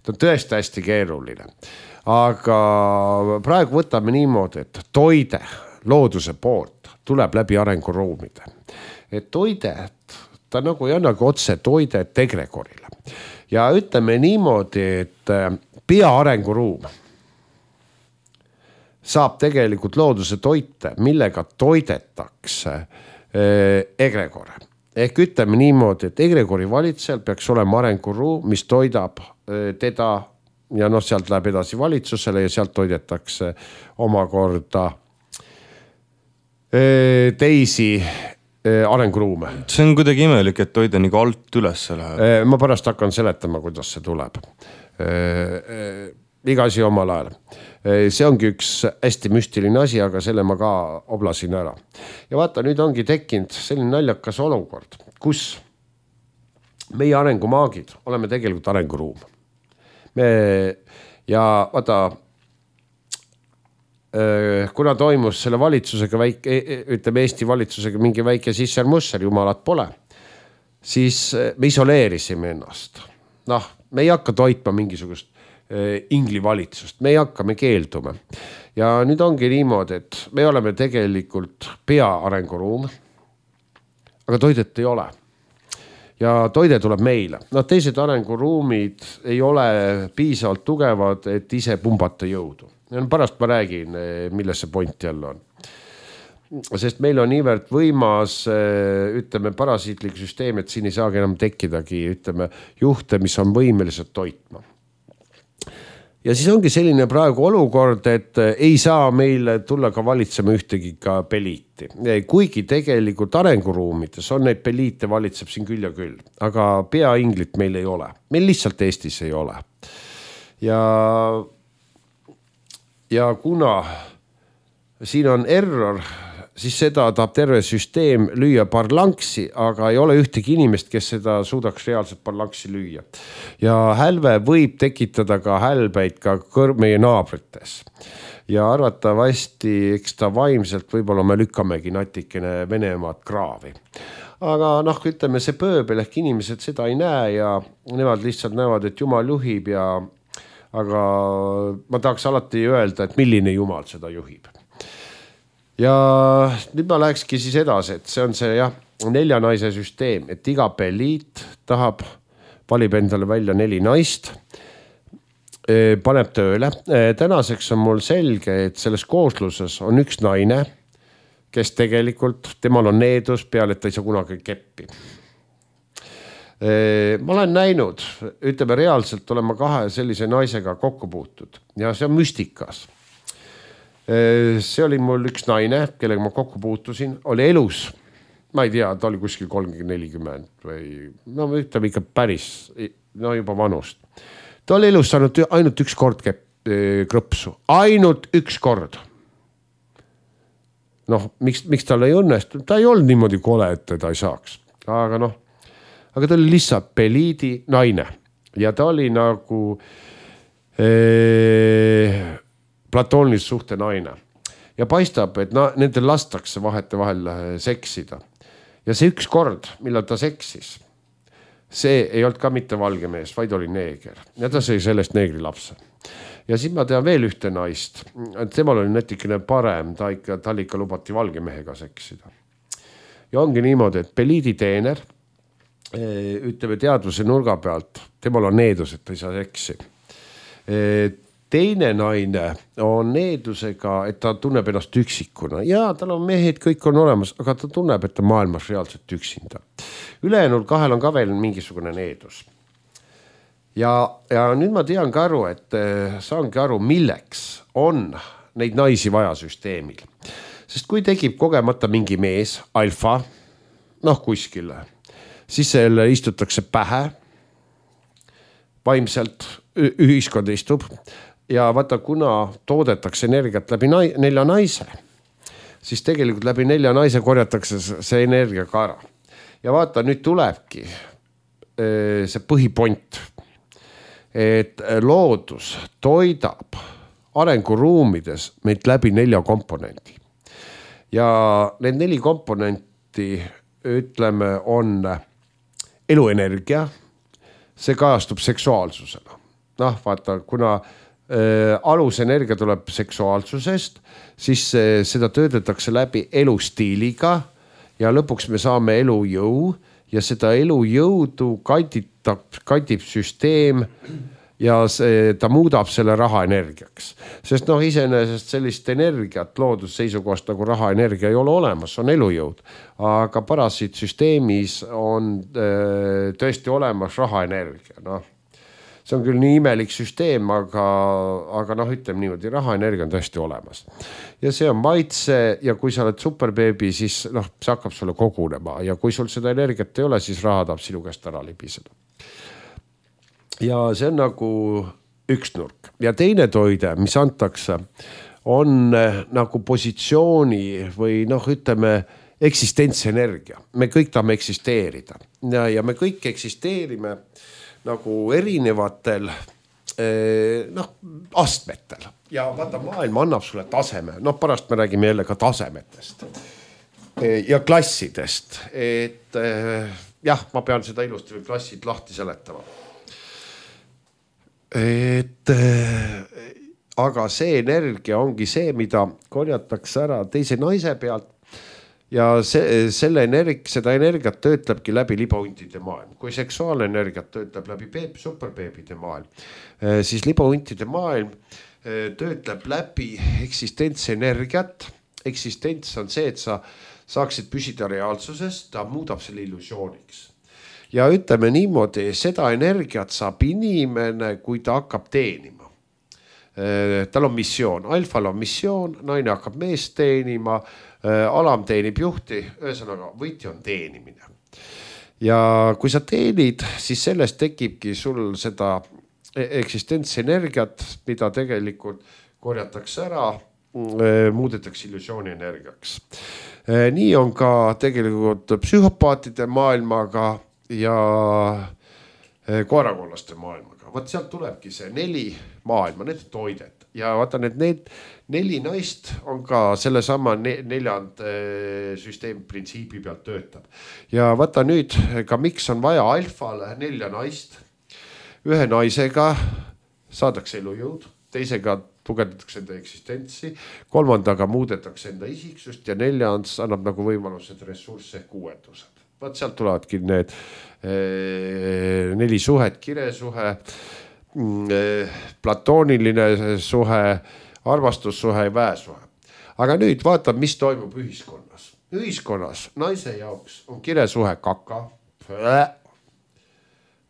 S3: Ta on tõesti hästi keeruline. Aga praegu võtame niimoodi, et toide looduse poolt tuleb läbi arenguruumide. Et toidet, ta nagu ei annagi otse toidet egregorile. Ja ütleme niimoodi, et pea arenguruum saab tegelikult looduse toite, millega toidetakse egregore. Ehk ütleme niimoodi, et egregori valitsejal peaks olema arenguruum, mis toidab teda ja noh, sealt läheb edasi valitsusele ja sealt toidetakse omakorda teisi arenguruume.
S2: See on kuidagi imelik, et toide nagu alt üles läheb.
S3: Ma pärast hakkan seletama, kuidas see tuleb. Iga asi omal ajal. See ongi üks hästi müstiline asi, aga selle ma ka oblasin ära. Ja vaata, nüüd ongi tekkinud selline naljakas olukord, kus meie arengumaagid oleme tegelikult arenguruum. Me, ja vaata, kuna toimus selle valitsusega väike, ütleme Eesti valitsusega mingi väike sisser-musser, jumalat pole, siis me isoleerisime ennast. Noh, me ei hakka toitma mingisugust ingli valitsust, me ei hakka, me keeldume. Ja nüüd ongi niimoodi, et me oleme tegelikult pea arenguruum, aga toidet ei ole. Ja toide tuleb meile. No teised arenguruumid ei ole piisavalt tugevad, et ise pumbata jõudu. Ja pärast ma räägin, milles see point jälle on. Sest meil on niivõrd võimas, ütleme, parasiitlik süsteem, et siin ei saagi enam tekkidagi, ütleme, juhte, mis on võimelised toitma. Ja siis ongi selline praegu olukord, et ei saa meil tulla ka valitsema ühtegi ka Beliiti. Kuigi tegelikult arenguruumides on neid Beliite valitseb siin küll ja küll, aga peainglit meil ei ole. Meil lihtsalt Eestis ei ole. Ja, ja kuna siin on error, siis seda tahab terve süsteem lüüa parlanksi, aga ei ole ühtegi inimest, kes seda suudaks reaalselt parlanksi lüüa. Ja hälve võib tekitada ka hälbeid ka kõr- meie naabrites. Ja arvatavasti, eks ta vaimselt võib-olla me lükkamegi natikene Venemaad kraavi. Aga noh, ütleme see pööbel ehk inimesed seda ei näe ja nemad lihtsalt näevad, et Jumal juhib ja aga ma tahaks alati öelda, et milline Jumal seda juhib. Ja nüüd ma lähekski siis edasi, et see on see jah, nelja naise süsteem, et iga peliit tahab, valib endale välja neli naist, paneb tööle. Tänaseks on mul selge, et selles koosluses on üks naine, kes tegelikult, temal on needus peale, et ta ei saa kunagi keppi. Ma olen näinud, ütleme reaalselt olema kahe sellise naisega kokku puutud ja see on müstikas. See oli mul üks naine, kellega ma kokku puutusin, oli elus. Ma ei tea, ta oli kuskil kolmkümmend nelikümmend või no ütleme ikka päris, no juba vanust. Ta oli elus saanud ainult üks kord krõpsu, ainult üks kord. Noh, miks, miks tal ei õnnestu? Ta ei olnud niimoodi kole, et teda ei saaks, aga noh, aga ta oli lihtsalt peliidi naine ja ta oli nagu ee, platoonilise suhte naine. Ja paistab, et na, nendel lastakse vahete vahel seksida. Ja see üks kord, millal ta seksis, see ei olnud ka mitte valge mees, vaid oli neeger. Ja ta sai sellest neegri lapse. Ja siis ma tean veel ühte naist. Temal oli natikene parem, ta ikka, tal ikka lubati valge mehega seksida. Ja ongi niimoodi, et peliidi teener ütleme teadvuse nurga pealt, temal on needus, et ta ei saa seksi. Teine naine on needusega, et ta tunneb ennast üksikuna ja tal on mehed, kõik on olemas, aga ta tunneb, et ta maailmas reaalselt üksinda. Ülejäänud kahel on ka veel mingisugune needus. Ja, ja nüüd ma tean ka aru, et saangi aru, milleks on neid naisi vaja süsteemil. Sest kui tekib kogemata mingi mees, alfa, noh kuskile, siis selle istutakse pähe, vaimselt ühiskond istub ja vaata, kuna toodetakse energiat läbi nelja naise, siis tegelikult läbi nelja naise korjatakse see energia ka ära. Ja vaata, nüüd tulebki see põhipont, et loodus toidab arenguruumides meid läbi nelja komponendi. Ja need neli komponenti, ütleme, on eluenergia, see kajastub seksuaalsusena. Noh, vaata, kuna äh, alusenergia tuleb seksuaalsusest, siis äh, seda töödetakse läbi elustiiliga ja lõpuks me saame elujõu ja seda elujõudu kanditab, kandib süsteem ja see, ta muudab selle raha energiaks. Sest noh, iseenesest sellist energiat loodusseisukohast nagu raha energia ei ole olemas, on elujõud. Aga parasiitsüsteemis on öö, tõesti olemas raha energia. No, see on küll nii imelik süsteem, aga, aga noh, ütleme niimoodi, raha energia on tõesti olemas. Ja see on maitse ja kui sa oled superbeebi, siis noh, see hakkab sulle kogunema ja kui sul seda energiat ei ole, siis raha tahab sinu käest ära libiseda. Ja see on nagu üks nurk. Ja teine toide, mis antakse, on nagu positsiooni või noh, ütleme, eksistentsienergia. Me kõik tahame eksisteerida ja, ja me kõik eksisteerime nagu erinevatel noh, astmetel. Ja vaata, maailm annab sulle taseme. Noh, pärast me räägime jälle ka tasemetest ja klassidest. Et jah, ma pean seda ilusti või klassid lahti seletama. Et, aga see energia ongi see, mida korjatakse ära teise naise pealt ja see, selle energ, seda energiat töötlebki läbi libauntide maailm. Kui seksuaalne energiat töötleb läbi beeb, superbeebide maailm, siis libauntide maailm töötleb läbi eksistentsienergiat. Eksistents on see, et sa saaksid püsida reaalsuses, ta muudab selle illusiooniks. Ja ütleme niimoodi, seda energiat saab inimene, kui ta hakkab teenima. Tal on missioon, alfal on missioon, naine hakkab meest teenima, alam teenib juhti, ühesõnaga võitja on teenimine. Ja kui sa teenid, siis sellest tekibki sul seda eksistentsienergiat, mida tegelikult korjatakse ära, muudetakse illusiooni energiaks. nii on ka tegelikult psühhopaatide maailmaga ja koerakollaste maailmaga. Vaat sealt tulebki see neli maailma, need toidet ja vaata need, need neli naist on ka selle sama neljand süsteemi printsiibi pealt töötab. Ja vaata nüüd ka miks on vaja alfale nelja naist. Ühe naisega saadakse elujõud, teisega tugevdatakse enda eksistentsi, kolmandaga muudetakse enda isiksust ja neljans annab nagu võimalused ressursse ehk uuendused. Vaat sealt tulevadki need eh, neli suhet, kiresuhe, eh, platooniline suhe, armastussuhe ja väesuhe. Aga nüüd vaata, mis toimub ühiskonnas. Ühiskonnas naise jaoks on kiresuhe kaka.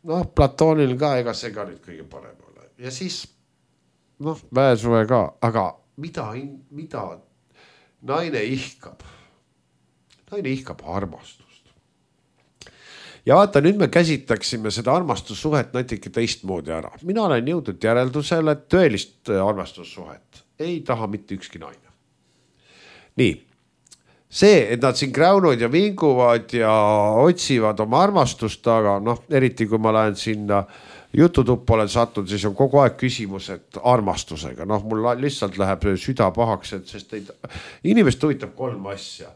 S3: Noh, platoonil ka, ega see ka nüüd kõige parem ole. Ja siis, noh, väesuhe ka, aga mida, mida naine ihkab? Naine ihkab armastust. Ja vaata, nüüd me käsitleksime seda armastussuhet natuke teistmoodi ära. Mina olen jõudnud järeldusele, et tõelist armastussuhet ei taha mitte ükski naine. Nii, see, et nad siin kräunud ja vinguvad ja otsivad oma armastust, aga noh, eriti kui ma lähen sinna jututuppa olen sattunud, siis on kogu aeg küsimus, et armastusega. Noh, mul lihtsalt läheb süda pahaks, et sest neid, inimest huvitab kolm asja.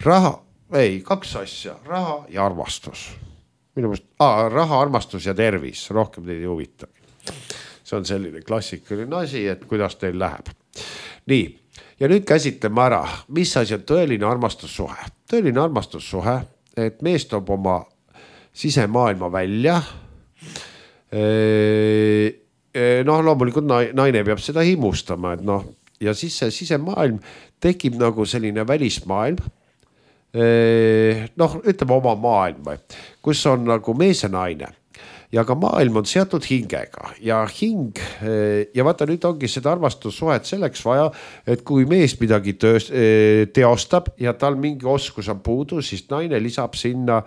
S3: Raha, ei, kaks asja, raha ja armastus. Minu mõist, ah, raha, armastus ja tervis, rohkem teid ei huvita. See on selline klassikaline asi, et kuidas teil läheb. Nii, ja nüüd käsitleme ära, mis asi on tõeline armastussuhe. Tõeline armastussuhe, et mees toob oma sisemaailma välja. Noh, loomulikult naine peab seda himustama, et noh, ja siis see sisemaailm tekib nagu selline välismaailm. Noh, ütleme oma maailm, kus on nagu mees ja naine ja ka maailm on seatud hingega ja hing ja vaata nüüd ongi seda armastussuhet selleks vaja, et kui mees midagi tööst, teostab ja tal mingi oskus on puudu, siis naine lisab sinna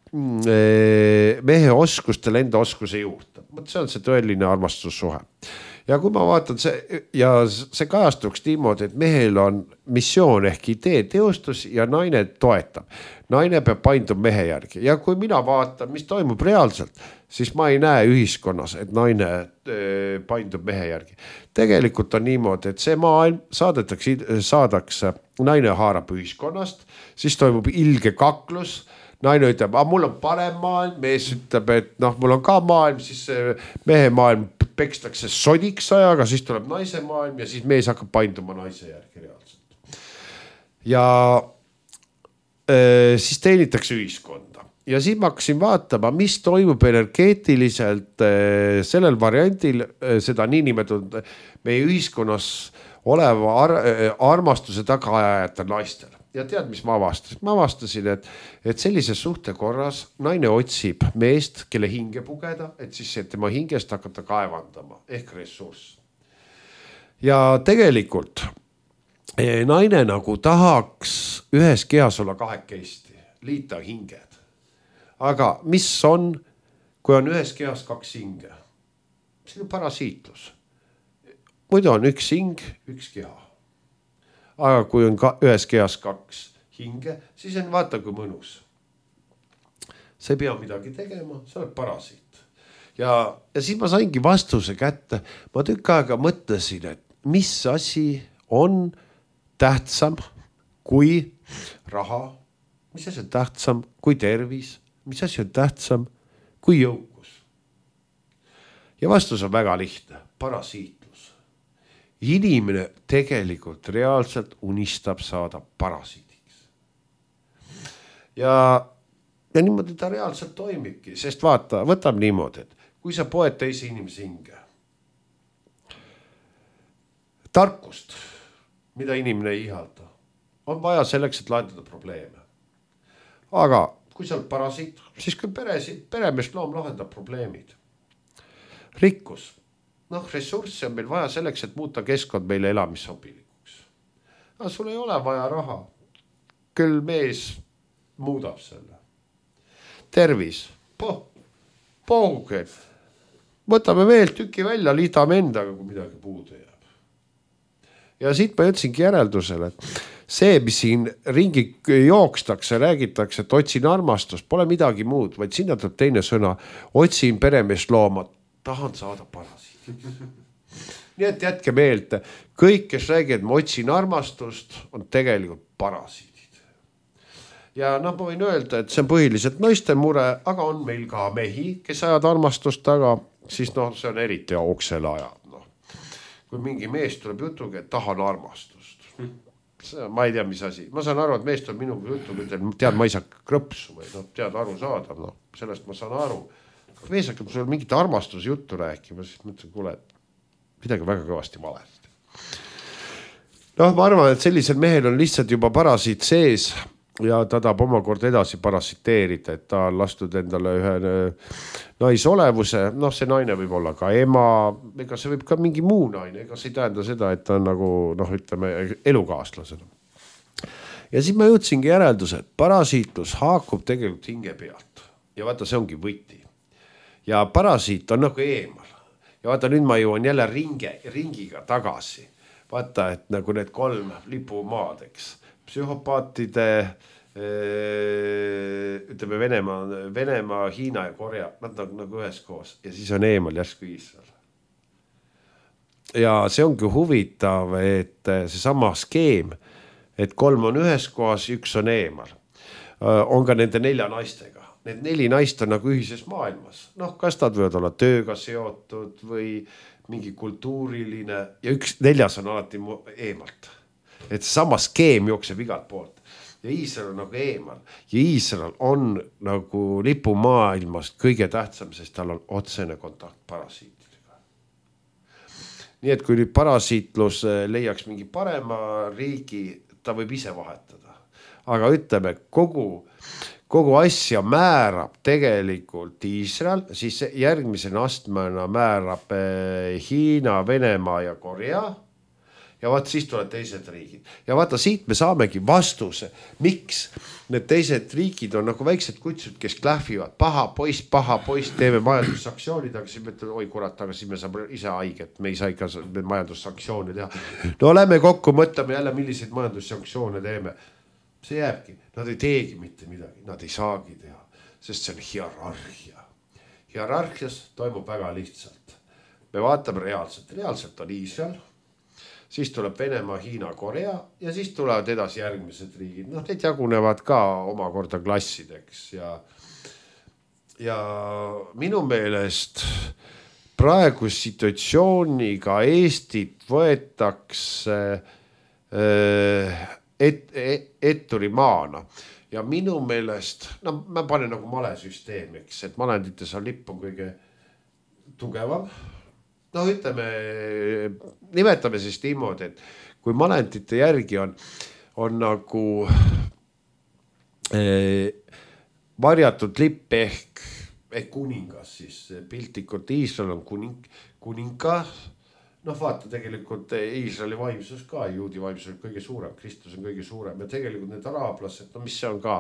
S3: mehe oskustele enda oskuse juurde. See on see tõeline armastussuhe. Ja kui ma vaatan see ja see kajastuks niimoodi, et mehel on missioon ehk idee teostus ja naine toetab. Naine peab painduma mehe järgi ja kui mina vaatan, mis toimub reaalselt, siis ma ei näe ühiskonnas, et naine paindub mehe järgi. Tegelikult on niimoodi, et see maailm saadetakse, saadakse, naine haarab ühiskonnast, siis toimub ilge kaklus. Naine ütleb, aga mul on parem maailm, mees ütleb, et noh, mul on ka maailm, siis mehe maailm pekstakse sodiks ajaga, siis tuleb naise maailm ja siis mees hakkab painduma naise järgi reaalselt. Ja äh, siis teenitakse ühiskonda. Ja siis ma hakkasin vaatama, mis toimub energeetiliselt äh, sellel variantil äh, seda niinimetatud meie ühiskonnas oleva ar armastuse tagaajajate naistel. Ja tead, mis ma avastasin? Ma avastasin, et, et sellise suhte korras naine otsib meest, kelle hinge pugeda, et siis et tema hingest hakata kaevandama ehk ressurss. Ja tegelikult naine nagu tahaks ühes kehas olla kahekesti, liita hinged. Aga mis on, kui on ühes kehas kaks hinge? See on parasiitlus. Muidu on üks hing, üks keha. Aga kui on ka ühes kehas kaks hinge, siis on vaata kui mõnus. See ei pea midagi tegema, see on parasiit. Ja, ja siis ma saingi vastuse kätte. Ma tükk aega mõtlesin, et mis asi on tähtsam kui raha, mis asi on tähtsam kui tervis, mis asi on tähtsam kui jõukus. Ja vastus on väga lihtne, parasiit. Inimene tegelikult reaalselt unistab saada parasiidiks. Ja, ja niimoodi ta reaalselt toimibki, sest vaata, võtab niimoodi, et kui sa poed teise inimese hinge, tarkust, mida inimene ei ihalda, on vaja selleks, et lahendada probleeme. Aga kui sa oled parasiit, siis kui peresid, peremeest loom lahendab probleemid. Rikkus. Noh, ressurssi on meil vaja selleks, et muuta keskkond meile elamissobilikuks. Aga sul ei ole vaja raha. Küll mees muudab selle. Tervis. Poh, pohuge. Võtame veel tüki välja, liidame endaga, kui midagi puudu jääb. ja siit ma jõudsingi järeldusele, et see, mis siin ringi jookstakse, räägitakse, et otsin armastust, pole midagi muud, vaid sinna tuleb teine sõna, otsin peremeest looma, tahan saada parasiiti. Nii et jätke meelde, kõik, kes räägid, et ma otsin armastust, on tegelikult parasiidid. Ja noh, ma võin öelda, et see on põhiliselt naiste mure, aga on meil ka mehi, kes ajad armastust taga, siis noh, see on eriti oksele ajad. No. Kui mingi mees tuleb jutuga, et tahan armastust. See, ma ei tea, mis asi. Ma saan aru, et mees tuleb minuga jutuga, et tead, ma ei saa krõpsu või no, tead aru saada. No, sellest ma saan aru. Mees hakkab sulle mingit armastusjuttu rääkima, siis mõtlen, kuule, midagi väga kõvasti valesti. Noh, ma arvan, et sellisel mehel on lihtsalt juba parasiit sees ja ta tahab omakord edasi parasiteerida, et ta on lastud endale ühe naisolevuse. Noh, see naine võib olla ka ema, ega see võib ka mingi muu naine, ega see ei tähenda seda, et ta on nagu, noh, ütleme, elukaaslasena. Ja siis ma jõudsingi järelduse, et parasiitlus haakub tegelikult hinge pealt. Ja vaata, see ongi võti. Ja parasiit on nagu eemal. Ja vaata, nüüd ma jõuan jälle ringe, ringiga tagasi. Vaata, et nagu need kolm lipumaad, eks. Psühhopaatide, ütleme Venemaa, Venemaa, Hiina ja Korea, nad nagu, nagu ühes koos. Ja siis on eemal järsku Iisrael. Ja see ongi huvitav, et see sama skeem, et kolm on ühes kohas, üks on eemal. On ka nende nelja naistega. Need neli naist on nagu ühises maailmas. Noh, kas nad võivad olla tööga seotud või mingi kultuuriline ja üks neljas on alati eemalt. Et sama skeem jookseb igalt poolt. Ja Iisrael on nagu eemal. Ja Iisrael on nagu lipumaailmast kõige tähtsam, sest tal on otsene kontakt parasiitidega. Nii et kui nüüd parasiitlus leiaks mingi parema riigi, ta võib ise vahetada. Aga ütleme, kogu... Kogu asja määrab tegelikult Iisrael, siis järgmisena astmena määrab Hiina, Venemaa ja Korea. Ja vaata, siis tuleb teised riigid. Ja vaata, siit me saamegi vastuse, miks need teised riigid on nagu väiksed kutsud, kes klähvivad. Paha poiss, paha poiss, teeme majandussanktsioonid, aga siis me ütleme, oi kurat, aga siis me saame ise haiget. Me ei saa ikka majandussanktsioone teha. No lähme kokku, mõtleme jälle, milliseid majandussanktsioone teeme. See jääbki, nad ei teegi mitte midagi, nad ei saagi teha, sest see on hierarhia. Hierarhias toimub väga lihtsalt. Me vaatame reaalselt, reaalselt on Iisrael, siis tuleb Venemaa, Hiina, Korea ja siis tulevad edasi järgmised riigid. Noh, need jagunevad ka omakorda klassideks ja, ja minu meelest praegu situatsiooniga Eestit võetakse äh, Et, et, etturi maana. Ja minu meelest, no ma panen nagu malesüsteemiks, et malendites on lipp on kõige tugevam. No ütleme, nimetame siis niimoodi, et kui malendite järgi on, on nagu eh, varjatud lipp ehk, ehk kuningas, siis piltlikult Iisrael on kuning, kuninga. Noh, vaata, tegelikult Iisraeli vaimsus ka, juudi vaimsus on kõige suurem, Kristus on kõige suurem ja tegelikult need araablased, no mis see on ka,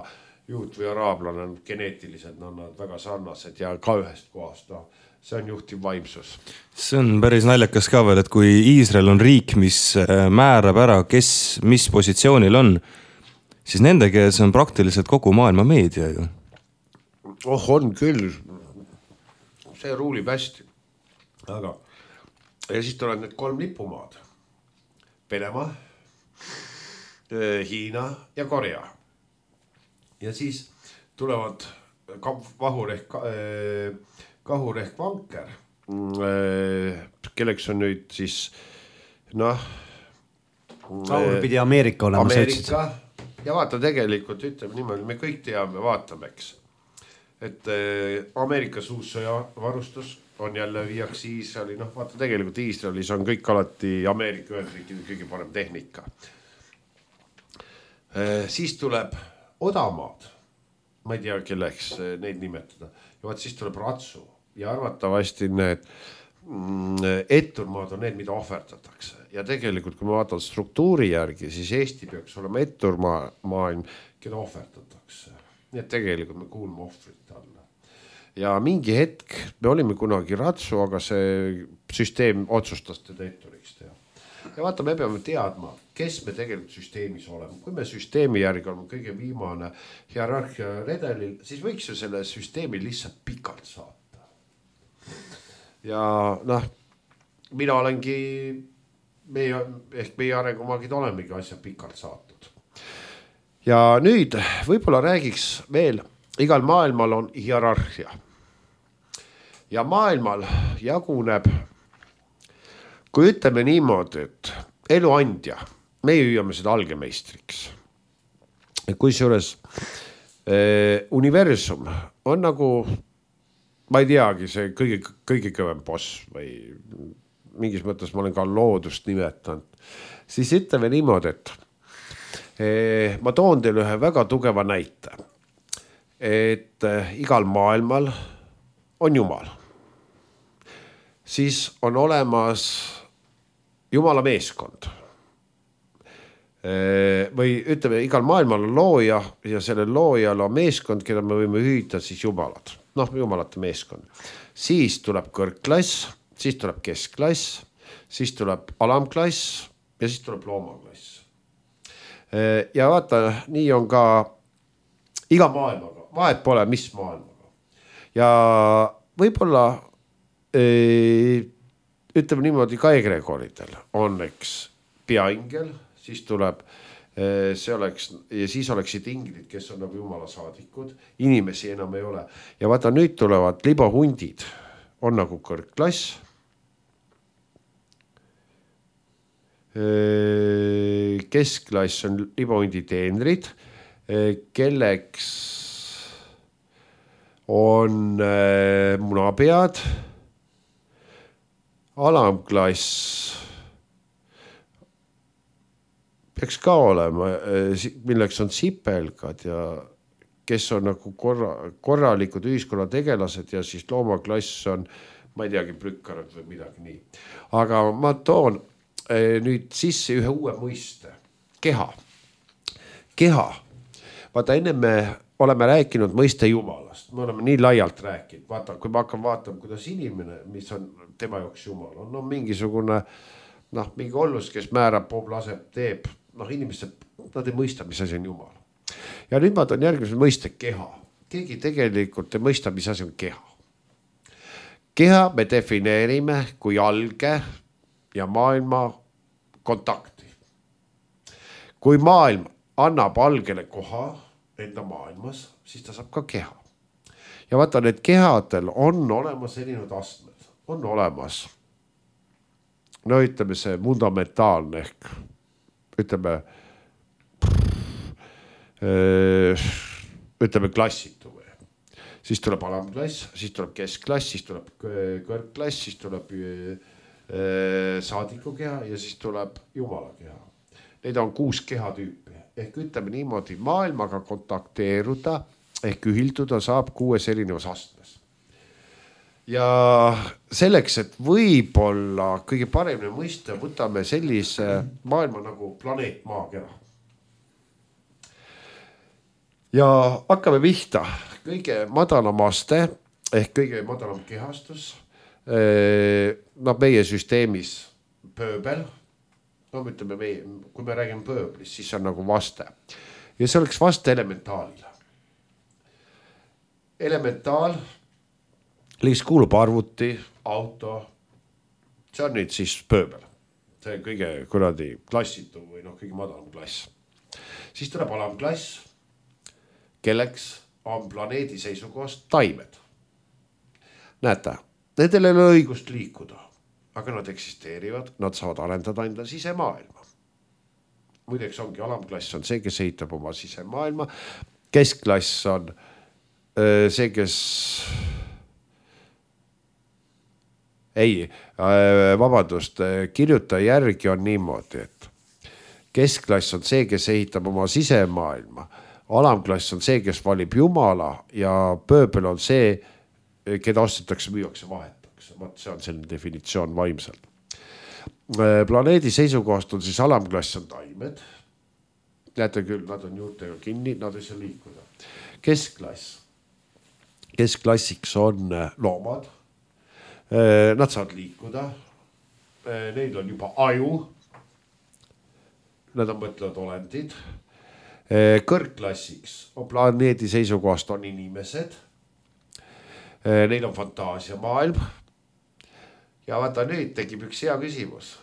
S3: juut või araablane on geneetiliselt, no nad väga sarnased ja ka ühest kohast, no see on juhtiv vaimsus.
S2: See on päris naljakas ka veel, et kui Iisrael on riik, mis määrab ära, kes mis positsioonil on, siis nende kees on praktiliselt kogu maailma meedia ju.
S3: Oh, on küll. See ruulib hästi. Aga ja siis tulevad need kolm lipumaad. Venemaa, Hiina ja Korea. Ja siis tulevad vahur ehk, kahur ehk vanker, kelleks on nüüd siis, noh.
S1: Kahur pidi Ameerika olema.
S3: Ameerika. Ja vaata tegelikult, ütleme niimoodi, me kõik teame, vaatameks. Et Ameerikas uus sõjavarustus on jälle viiaks Iisraeli, noh vaata tegelikult Iisraelis on kõik alati Ameerika Ühendriikide kõige parem tehnika. Siis tuleb odamaad, ma ei tea kelleks neid nimetada, ja vaat siis tuleb ratsu ja arvatavasti need etturmaad on need, mida ohverdatakse. Ja tegelikult, kui me vaatame struktuuri järgi, siis Eesti peaks olema etturmaailm, keda ohverdatakse. Nii et tegelikult me kuulme ohvrite alla. Ja mingi hetk me olime kunagi ratsu, aga see süsteem otsustas teda etturiks teha. ja vaata, me peame teadma, kes me tegelikult süsteemis oleme. Kui me süsteemi järgi oleme kõige viimane hierarhia redelil, siis võiks ju selle süsteemi lihtsalt pikalt saata. Ja noh, mina olengi, meie, ehk meie arengumaagid olemegi asja pikalt saatud. Ja nüüd võib-olla räägiks veel, igal maailmal on hierarhia. Ja maailmal jaguneb, kui ütleme niimoodi, et eluandja, meie hüüame seda algemeistriks. Kui seures eh, universum on nagu, ma ei teagi, see kõige, kõige kõvem boss või mingis mõttes ma olen ka loodust nimetanud, siis ütleme niimoodi, et eh, ma toon teile ühe väga tugeva näite, et eh, igal maailmal on Jumal. Siis on olemas Jumala meeskond. Või ütleme, igal maailmal on looja ja sellel loojal on meeskond, keda me võime hüüda siis jumalad. Noh, jumalate meeskond. Siis tuleb kõrgklass, siis tuleb keskklass, siis tuleb alamklass ja siis tuleb loomaklass. Ja vaata, nii on ka iga maailmaga. Vahet pole, mis maailmaga. Ja võib-olla ütleme niimoodi ka egregoridel on eks peaingel, siis tuleb, see oleks, ja siis oleksid inglid, kes on nagu jumala saadikud, inimesi enam ei ole. Ja vaata, nüüd tulevad libahundid, on nagu kõrgklass. Keskklass on libahundi teenrid, kelleks on munapead, alamklass peaks ka olema, milleks on sipelgad ja kes on nagu korra, korralikud ühiskonna tegelased ja siis loomaklass on, ma ei teagi, prükkarad või midagi nii. Aga ma toon nüüd sisse ühe uue mõiste. Keha. Keha. Vaata, enne me oleme rääkinud mõiste jumalast. Me oleme nii laialt rääkinud. Vaata, kui ma hakkan vaatama, kuidas inimene, mis on tema jaoks jumal, on no, mingisugune, noh, mingi ollus, kes määrab, poob, laseb, teeb, noh, inimesed, nad ei mõista, mis asi on jumal. Ja nüüd ma toon järgmise mõiste keha. Keegi tegelikult ei mõista, mis asi on keha. Keha me defineerime kui alge ja maailma kontakti. Kui maailm annab algele koha enda maailmas, siis ta saab ka keha. Ja vaata, need kehadel on olemas erinevad astmed. On olemas, no ütleme see fundamentaalne ehk ütleme, ütleme klassitu või. Siis tuleb alamklass, siis tuleb keskklass, siis tuleb kõrgklass, siis tuleb saadiku keha ja siis tuleb jumala keha. Neid on kuus kehatüüpi. Ehk ütleme niimoodi, maailmaga kontakteeruda ehk ühilduda saab kuues erinevas astmes. Ja selleks, et võib-olla kõige paremini mõista, võtame sellise maailma nagu planeet maakera. Ja hakkame vihta kõige madalam aste ehk kõige madalam kehastus. No meie süsteemis pööbel. No ütleme, meie, kui me räägime pööblist, siis on nagu vaste. Ja see oleks vaste elementaalile. Elementaal liiks kuulub arvuti, auto, see on nüüd siis pööbel. See kõige kuradi klassitu või noh, kõige madalam klass. Siis tuleb alamklass, kelleks on planeedi seisukohast taimed. Näete, nendel ei ole õigust liikuda, aga nad eksisteerivad, nad saavad arendada enda sisemaailma. Muideks ongi alamklass on see, kes ehitab oma sisemaailma. Keskklass on see, kes ei, vabandust, kirjutaja järgi on niimoodi, et keskklass on see, kes ehitab oma sisemaailma. Alamklass on see, kes valib jumala ja pööbel on see, keda ostetakse, müüakse, vahetakse. Vaat see on selline definitsioon vaimselt. Planeedi seisukohast on siis alamklass on taimed. Näete küll, nad on juurtega kinni, nad ei saa liikuda. Keskklass. Keskklassiks on loomad. Nad saavad liikuda. Neil on juba aju. nad on mõtlevad olendid. Kõrgklassiks on planeedi seisukohast on inimesed. Neil on fantaasiamaailm. Ja vaata nüüd tekib üks hea küsimus.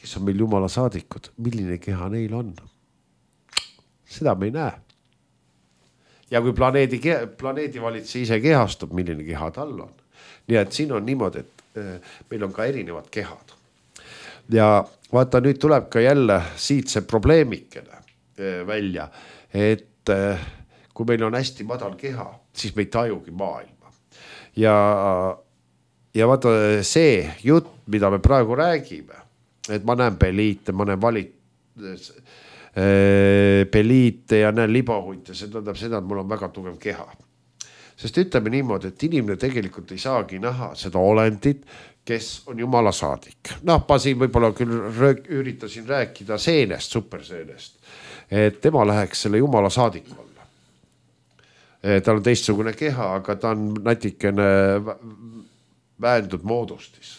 S3: Kes on meil jumala saadikud? Milline keha neil on? Seda me ei näe. Ja kui planeedi, planeedi valitse ise kehastub, milline keha tal on. Nii et siin on niimoodi, et meil on ka erinevad kehad. Ja vaata, nüüd tuleb ka jälle siit see probleemikene välja, et kui meil on hästi madal keha, siis me ei tajugi maailma. Ja, ja vaata see jutt, mida me praegu räägime, et ma näen peliite, ma näen valit, peliite ja näen libahunte, see tähendab seda, et mul on väga tugev keha. Sest ütleme niimoodi, et inimene tegelikult ei saagi näha seda olendit, kes on jumala saadik. Noh, ma siin võib-olla küll üritasin rääkida seenest, superseenest, et tema läheks selle jumala saadik olla. Tal on teistsugune keha, aga ta on natikene vähendud moodustis.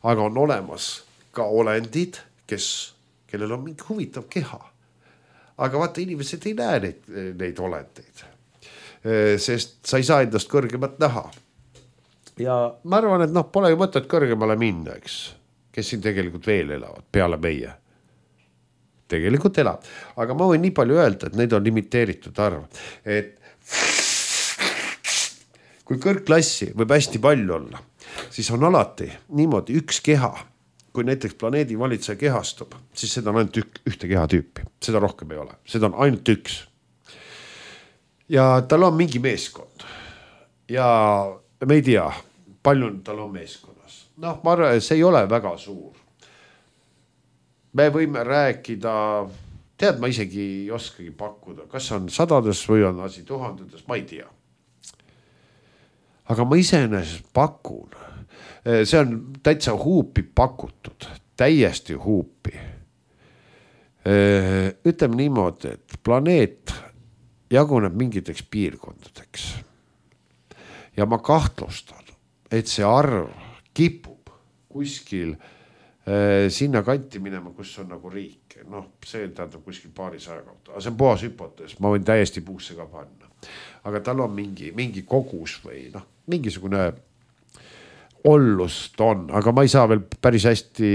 S3: Aga on olemas ka olendid, kes, kellel on mingi huvitav keha. Aga vaata, inimesed ei näe neid, neid olendeid, sest sa ei saa endast kõrgemat näha. Ja ma arvan, et noh, pole ju mõtet kõrgemale minna, eks, kes siin tegelikult veel elavad peale meie. Tegelikult elab. Aga ma võin nii palju öelda, et neid on limiteeritud arv. Et kui kõrgklassi võib hästi palju olla, siis on alati niimoodi üks keha. Kui näiteks planeedi valitseja kehastub, siis seda on ainult ük, ühte kehatüüpi. Seda rohkem ei ole. Seda on ainult üks. Ja tal on mingi meeskond. Ja me ei tea, palju tal on meeskonnas. Noh, ma arvan, see ei ole väga suur. Me võime rääkida, tead, ma isegi ei oskagi pakkuda, kas on sadades või on asi tuhandetes, ma ei tea. Aga ma iseenesest pakun. See on täitsa huupi pakutud, täiesti huupi. Ütleme niimoodi, et planeet jaguneb mingiteks piirkondadeks. Ja ma kahtlustan, et see arv kipub kuskil sinna kanti minema, kus on nagu riik. Noh, see tähendab kuskil paari saja kauta. Aga see on puhas hüpotees, ma võin täiesti puusse ka panna. Aga tal on mingi, mingi kogus või noh, mingisugune ollust on, aga ma ei saa veel päris hästi,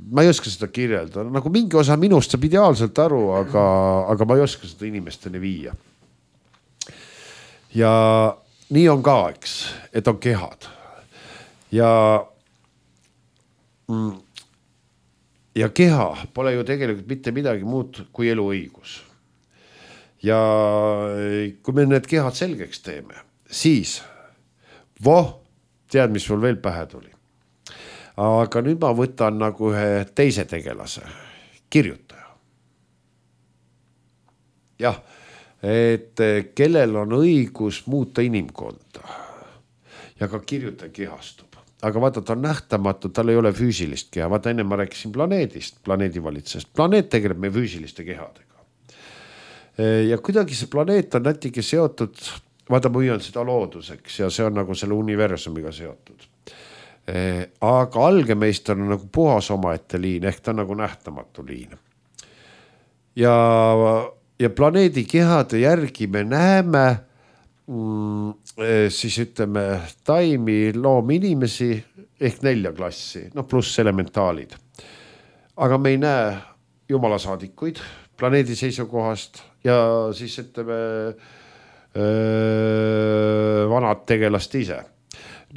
S3: ma ei oska seda kirjelda. Nagu mingi osa minust saab ideaalselt aru, aga, aga ma ei oska seda inimesteni viia. Ja nii on ka, eks, et on kehad. Ja, ja keha pole ju tegelikult mitte midagi muud kui eluõigus. Ja kui me need kehad selgeks teeme, siis voh, tead, mis sul veel pähe tuli. Aga nüüd ma võtan nagu ühe teise tegelase, kirjutaja. Jah, et kellel on õigus muuta inimkonda ja ka kirjutaja kehastub. Aga vaata, ta on nähtamatu, tal ei ole füüsilist keha. Vaata, enne ma rääkisin planeedist, planeedi valitsest. Planeet tegeleb meie füüsiliste kehadega. Ja kuidagi see planeet on natuke seotud, vaata, ma hüüan seda looduseks ja see on nagu selle universumiga seotud. Aga algemeister on nagu puhas omaette liin, ehk ta on nagu nähtamatu liin. Ja, ja planeedi kehade järgi me näeme, mm, siis ütleme, taimi, loomi inimesi ehk nelja klassi, no pluss elementaalid. Aga me ei näe jumala saadikuid planeedi seisukohast ja siis ütleme, vanad tegelast ise.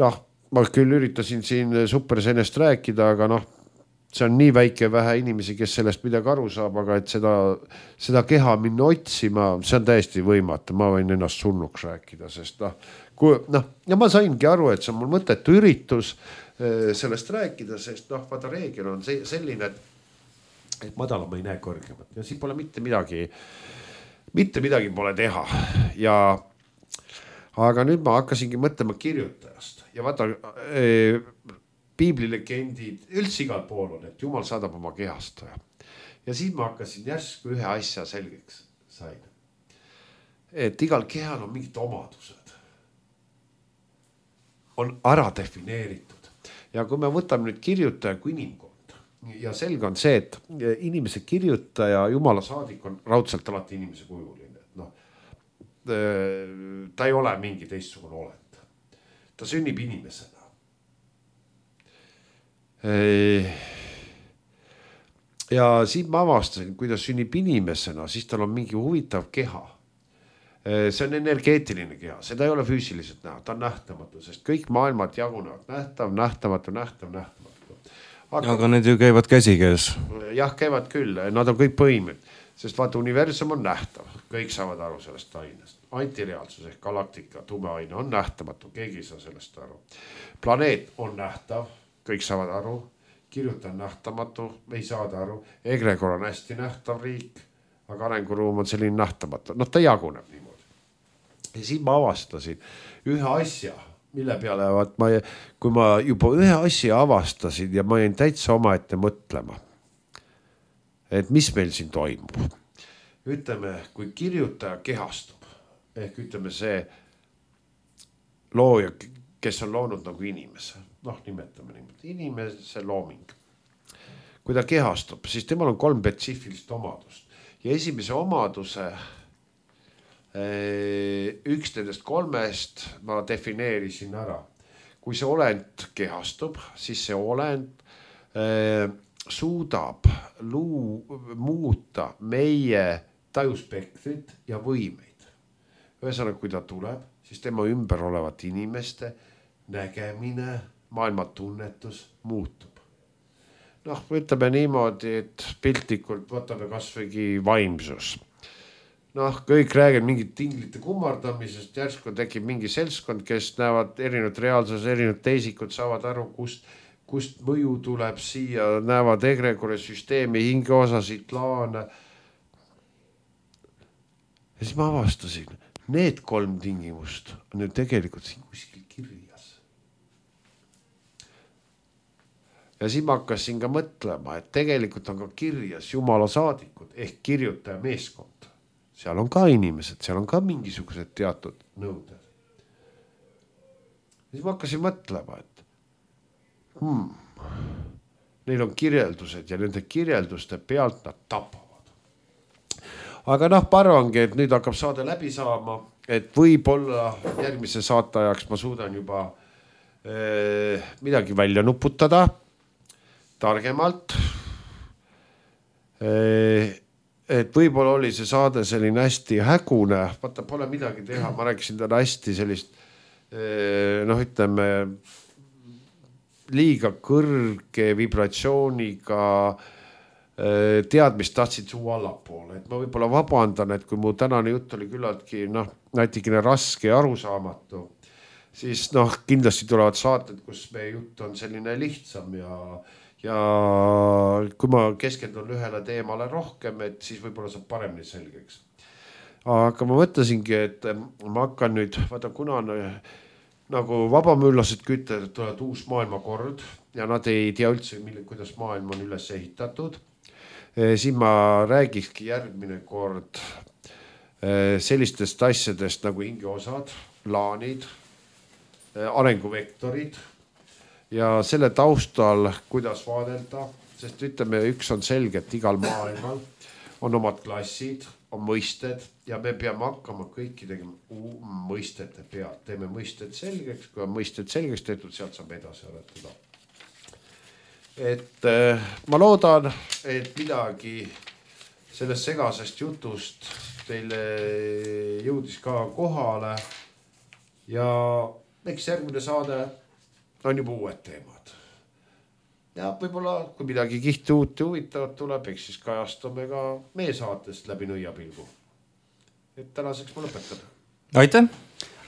S3: Noh, ma küll üritasin siin supersenest rääkida, aga noh, see on nii väike vähe inimesi, kes sellest midagi aru saab, aga et seda, seda keha minna otsima, see on täiesti võimatu. Ma võin ennast surnuks rääkida, sest noh, kui, noh, ja ma saingi aru, et see on mul mõttetu üritus sellest rääkida, sest noh, vaata reegel on selline, et, et madala ma ei näe kõrgemat ja siin pole mitte midagi Mitte midagi pole teha ja aga nüüd ma hakkasingi mõtlema kirjutajast ja vaata e, piiblilegendid üldse igal pool on, et Jumal saadab oma kehastaja. Ja siis ma hakkasin järsku ühe asja selgeks sain. Et igal kehal on mingid omadused. On ära defineeritud. Ja kui me võtame nüüd kirjutaja kui inimkond, ja selge on see, et inimese kirjutaja, jumala saadik on raudselt alati inimese kujuline. No, ta ei ole mingi teistsugune olend. Ta sünnib inimesena. Ja siin ma avastasin, kui ta sünnib inimesena, siis tal on mingi huvitav keha. See on energeetiline keha, seda ei ole füüsiliselt näha, ta on nähtamatu, sest kõik maailmad jagunevad nähtav, nähtamatu, nähtav, nähtamatu.
S2: Aga, aga need ju käivad käsikäes.
S3: Jah, käivad küll, nad on kõik põimed, sest vaata universum on nähtav, kõik saavad aru sellest ainest. Antireaalsus ehk galaktika, tume aine on nähtamatu, keegi ei saa sellest aru. Planeet on nähtav, kõik saavad aru, kirjuta on nähtamatu, ei saada aru, egregor on hästi nähtav riik, aga arenguruum on selline nähtamatu, noh ta jaguneb niimoodi. Ja siin ma avastasin ühe asja, mille peale, vaat ma, kui ma juba ühe asja avastasin ja ma jäin täitsa omaette mõtlema, et mis meil siin toimub. Ütleme, kui kirjutaja kehastub, ehk ütleme see looja, kes on loonud nagu inimese, noh nimetame niimoodi, inimese looming. Kui ta kehastub, siis temal on kolm spetsiifilist omadust ja esimese omaduse üks nendest kolmest ma defineerisin ära. Kui see olend kehastub, siis see olend äh, suudab luu, muuta meie tajuspektrit ja võimeid. Ühesõnaga, kui ta tuleb, siis tema ümber olevat inimeste nägemine, maailma tunnetus muutub. Noh, ütleme niimoodi, et piltlikult võtame kas võigi vaimsus. Noh, kõik räägib mingit tinglite kummardamisest, järsku tekib mingi seltskond, kes näevad erinevad reaalsus, erinevad teisikud, saavad aru, kust, kust mõju tuleb siia, näevad egregori süsteemi, hingeosasid, laane. Ja siis ma avastasin, need kolm tingimust on ju tegelikult siin kuskil kirjas. Ja siis ma hakkasin ka mõtlema, et tegelikult on ka kirjas jumala saadikud ehk kirjutaja meeskond. Seal on ka inimesed, seal on ka mingisugused teatud nõuded. Ja siis ma hakkasin mõtlema, et hmm, neil on kirjeldused ja nende kirjelduste pealt nad tapavad. Aga noh, parvangi, et nüüd hakkab saade läbi saama, et võib-olla järgmise saate ajaks ma suudan juba eh, midagi välja nuputada targemalt. Eh, et võib-olla oli see saade selline hästi hägune, vaata pole midagi teha, ma rääkisin täna hästi sellist, noh ütleme, liiga kõrge vibratsiooniga teadmist tahtsid suu allapoole, et ma võib-olla vabandan, et kui mu tänane jutt oli küllaltki, noh, natikene raske ja arusaamatu, siis noh, kindlasti tulevad saated, kus meie jutt on selline lihtsam ja Ja kui ma keskendun ühele teemale rohkem, et siis võib-olla saab paremini selgeks. Aga ma mõtlesingi, et ma hakkan nüüd, vaata kuna nagu vabamüllased kütted tulevad uus maailmakord ja nad ei tea üldse, kuidas maailm on üles ehitatud, siis ma räägikski järgmine kord sellistest asjadest nagu hingeosad, plaanid, arenguvektorid, ja selle taustal, kuidas vaadelda, sest ütleme, üks on selge, et igal maailmal on omad klassid, on mõisted ja me peame hakkama kõiki tegema mõistete pealt. Teeme mõisted selgeks, kui on mõisted selgeks tehtud, sealt saab edasi aretada. Et ma loodan, et midagi sellest segasest jutust teile jõudis ka kohale ja eks järgmine saade on juba uued teemad. Ja võib-olla, kui midagi kihti uut ja huvitavat tuleb, eks siis kajastume ka meie saatest läbi nõiapilgu. Et tänaseks ma lõpetan.
S2: Aitäh!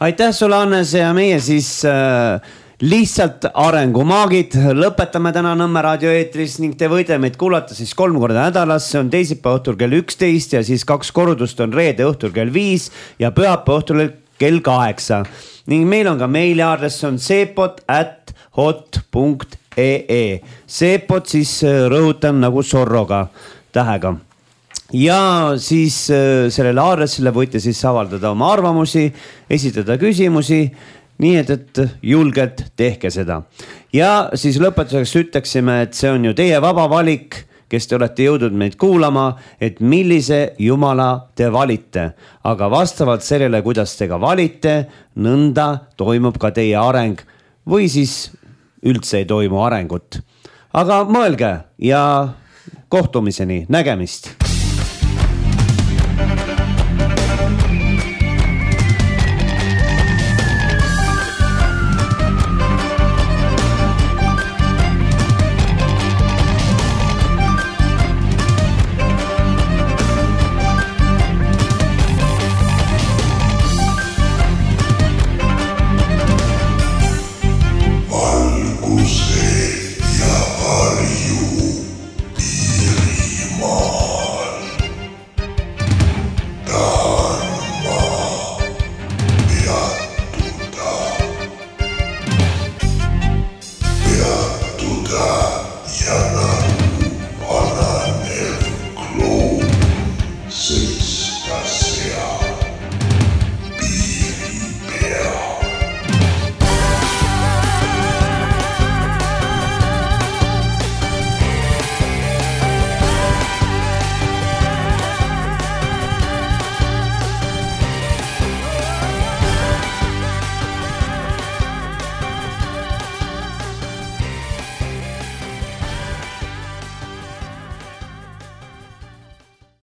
S1: Aitäh sulle, Hannes, ja meie siis äh, lihtsalt arengumaagid. Lõpetame täna Nõmme raadio eetris ning te võite meid kuulata siis kolm korda nädalas. See on teisipäeva õhtul kell üksteist ja siis kaks kordust on reede õhtul kell viis ja pühapäeva õhtul kell kaheksa. Ning meil on ka meiliaadress, on seepot at hot punkt ee. Seepot siis rõhutan nagu sorroga tähega. Ja siis sellele aadressile võite siis avaldada oma arvamusi, esitada küsimusi nii et, et julgelt tehke seda. Ja siis lõpetuseks ütleksime, et see on ju teie vaba valik, kes te olete jõudnud meid kuulama, et millise jumala te valite. Aga vastavalt sellele, kuidas te ka valite, nõnda toimub ka teie areng või siis üldse ei toimu arengut. Aga mõelge ja kohtumiseni, nägemist!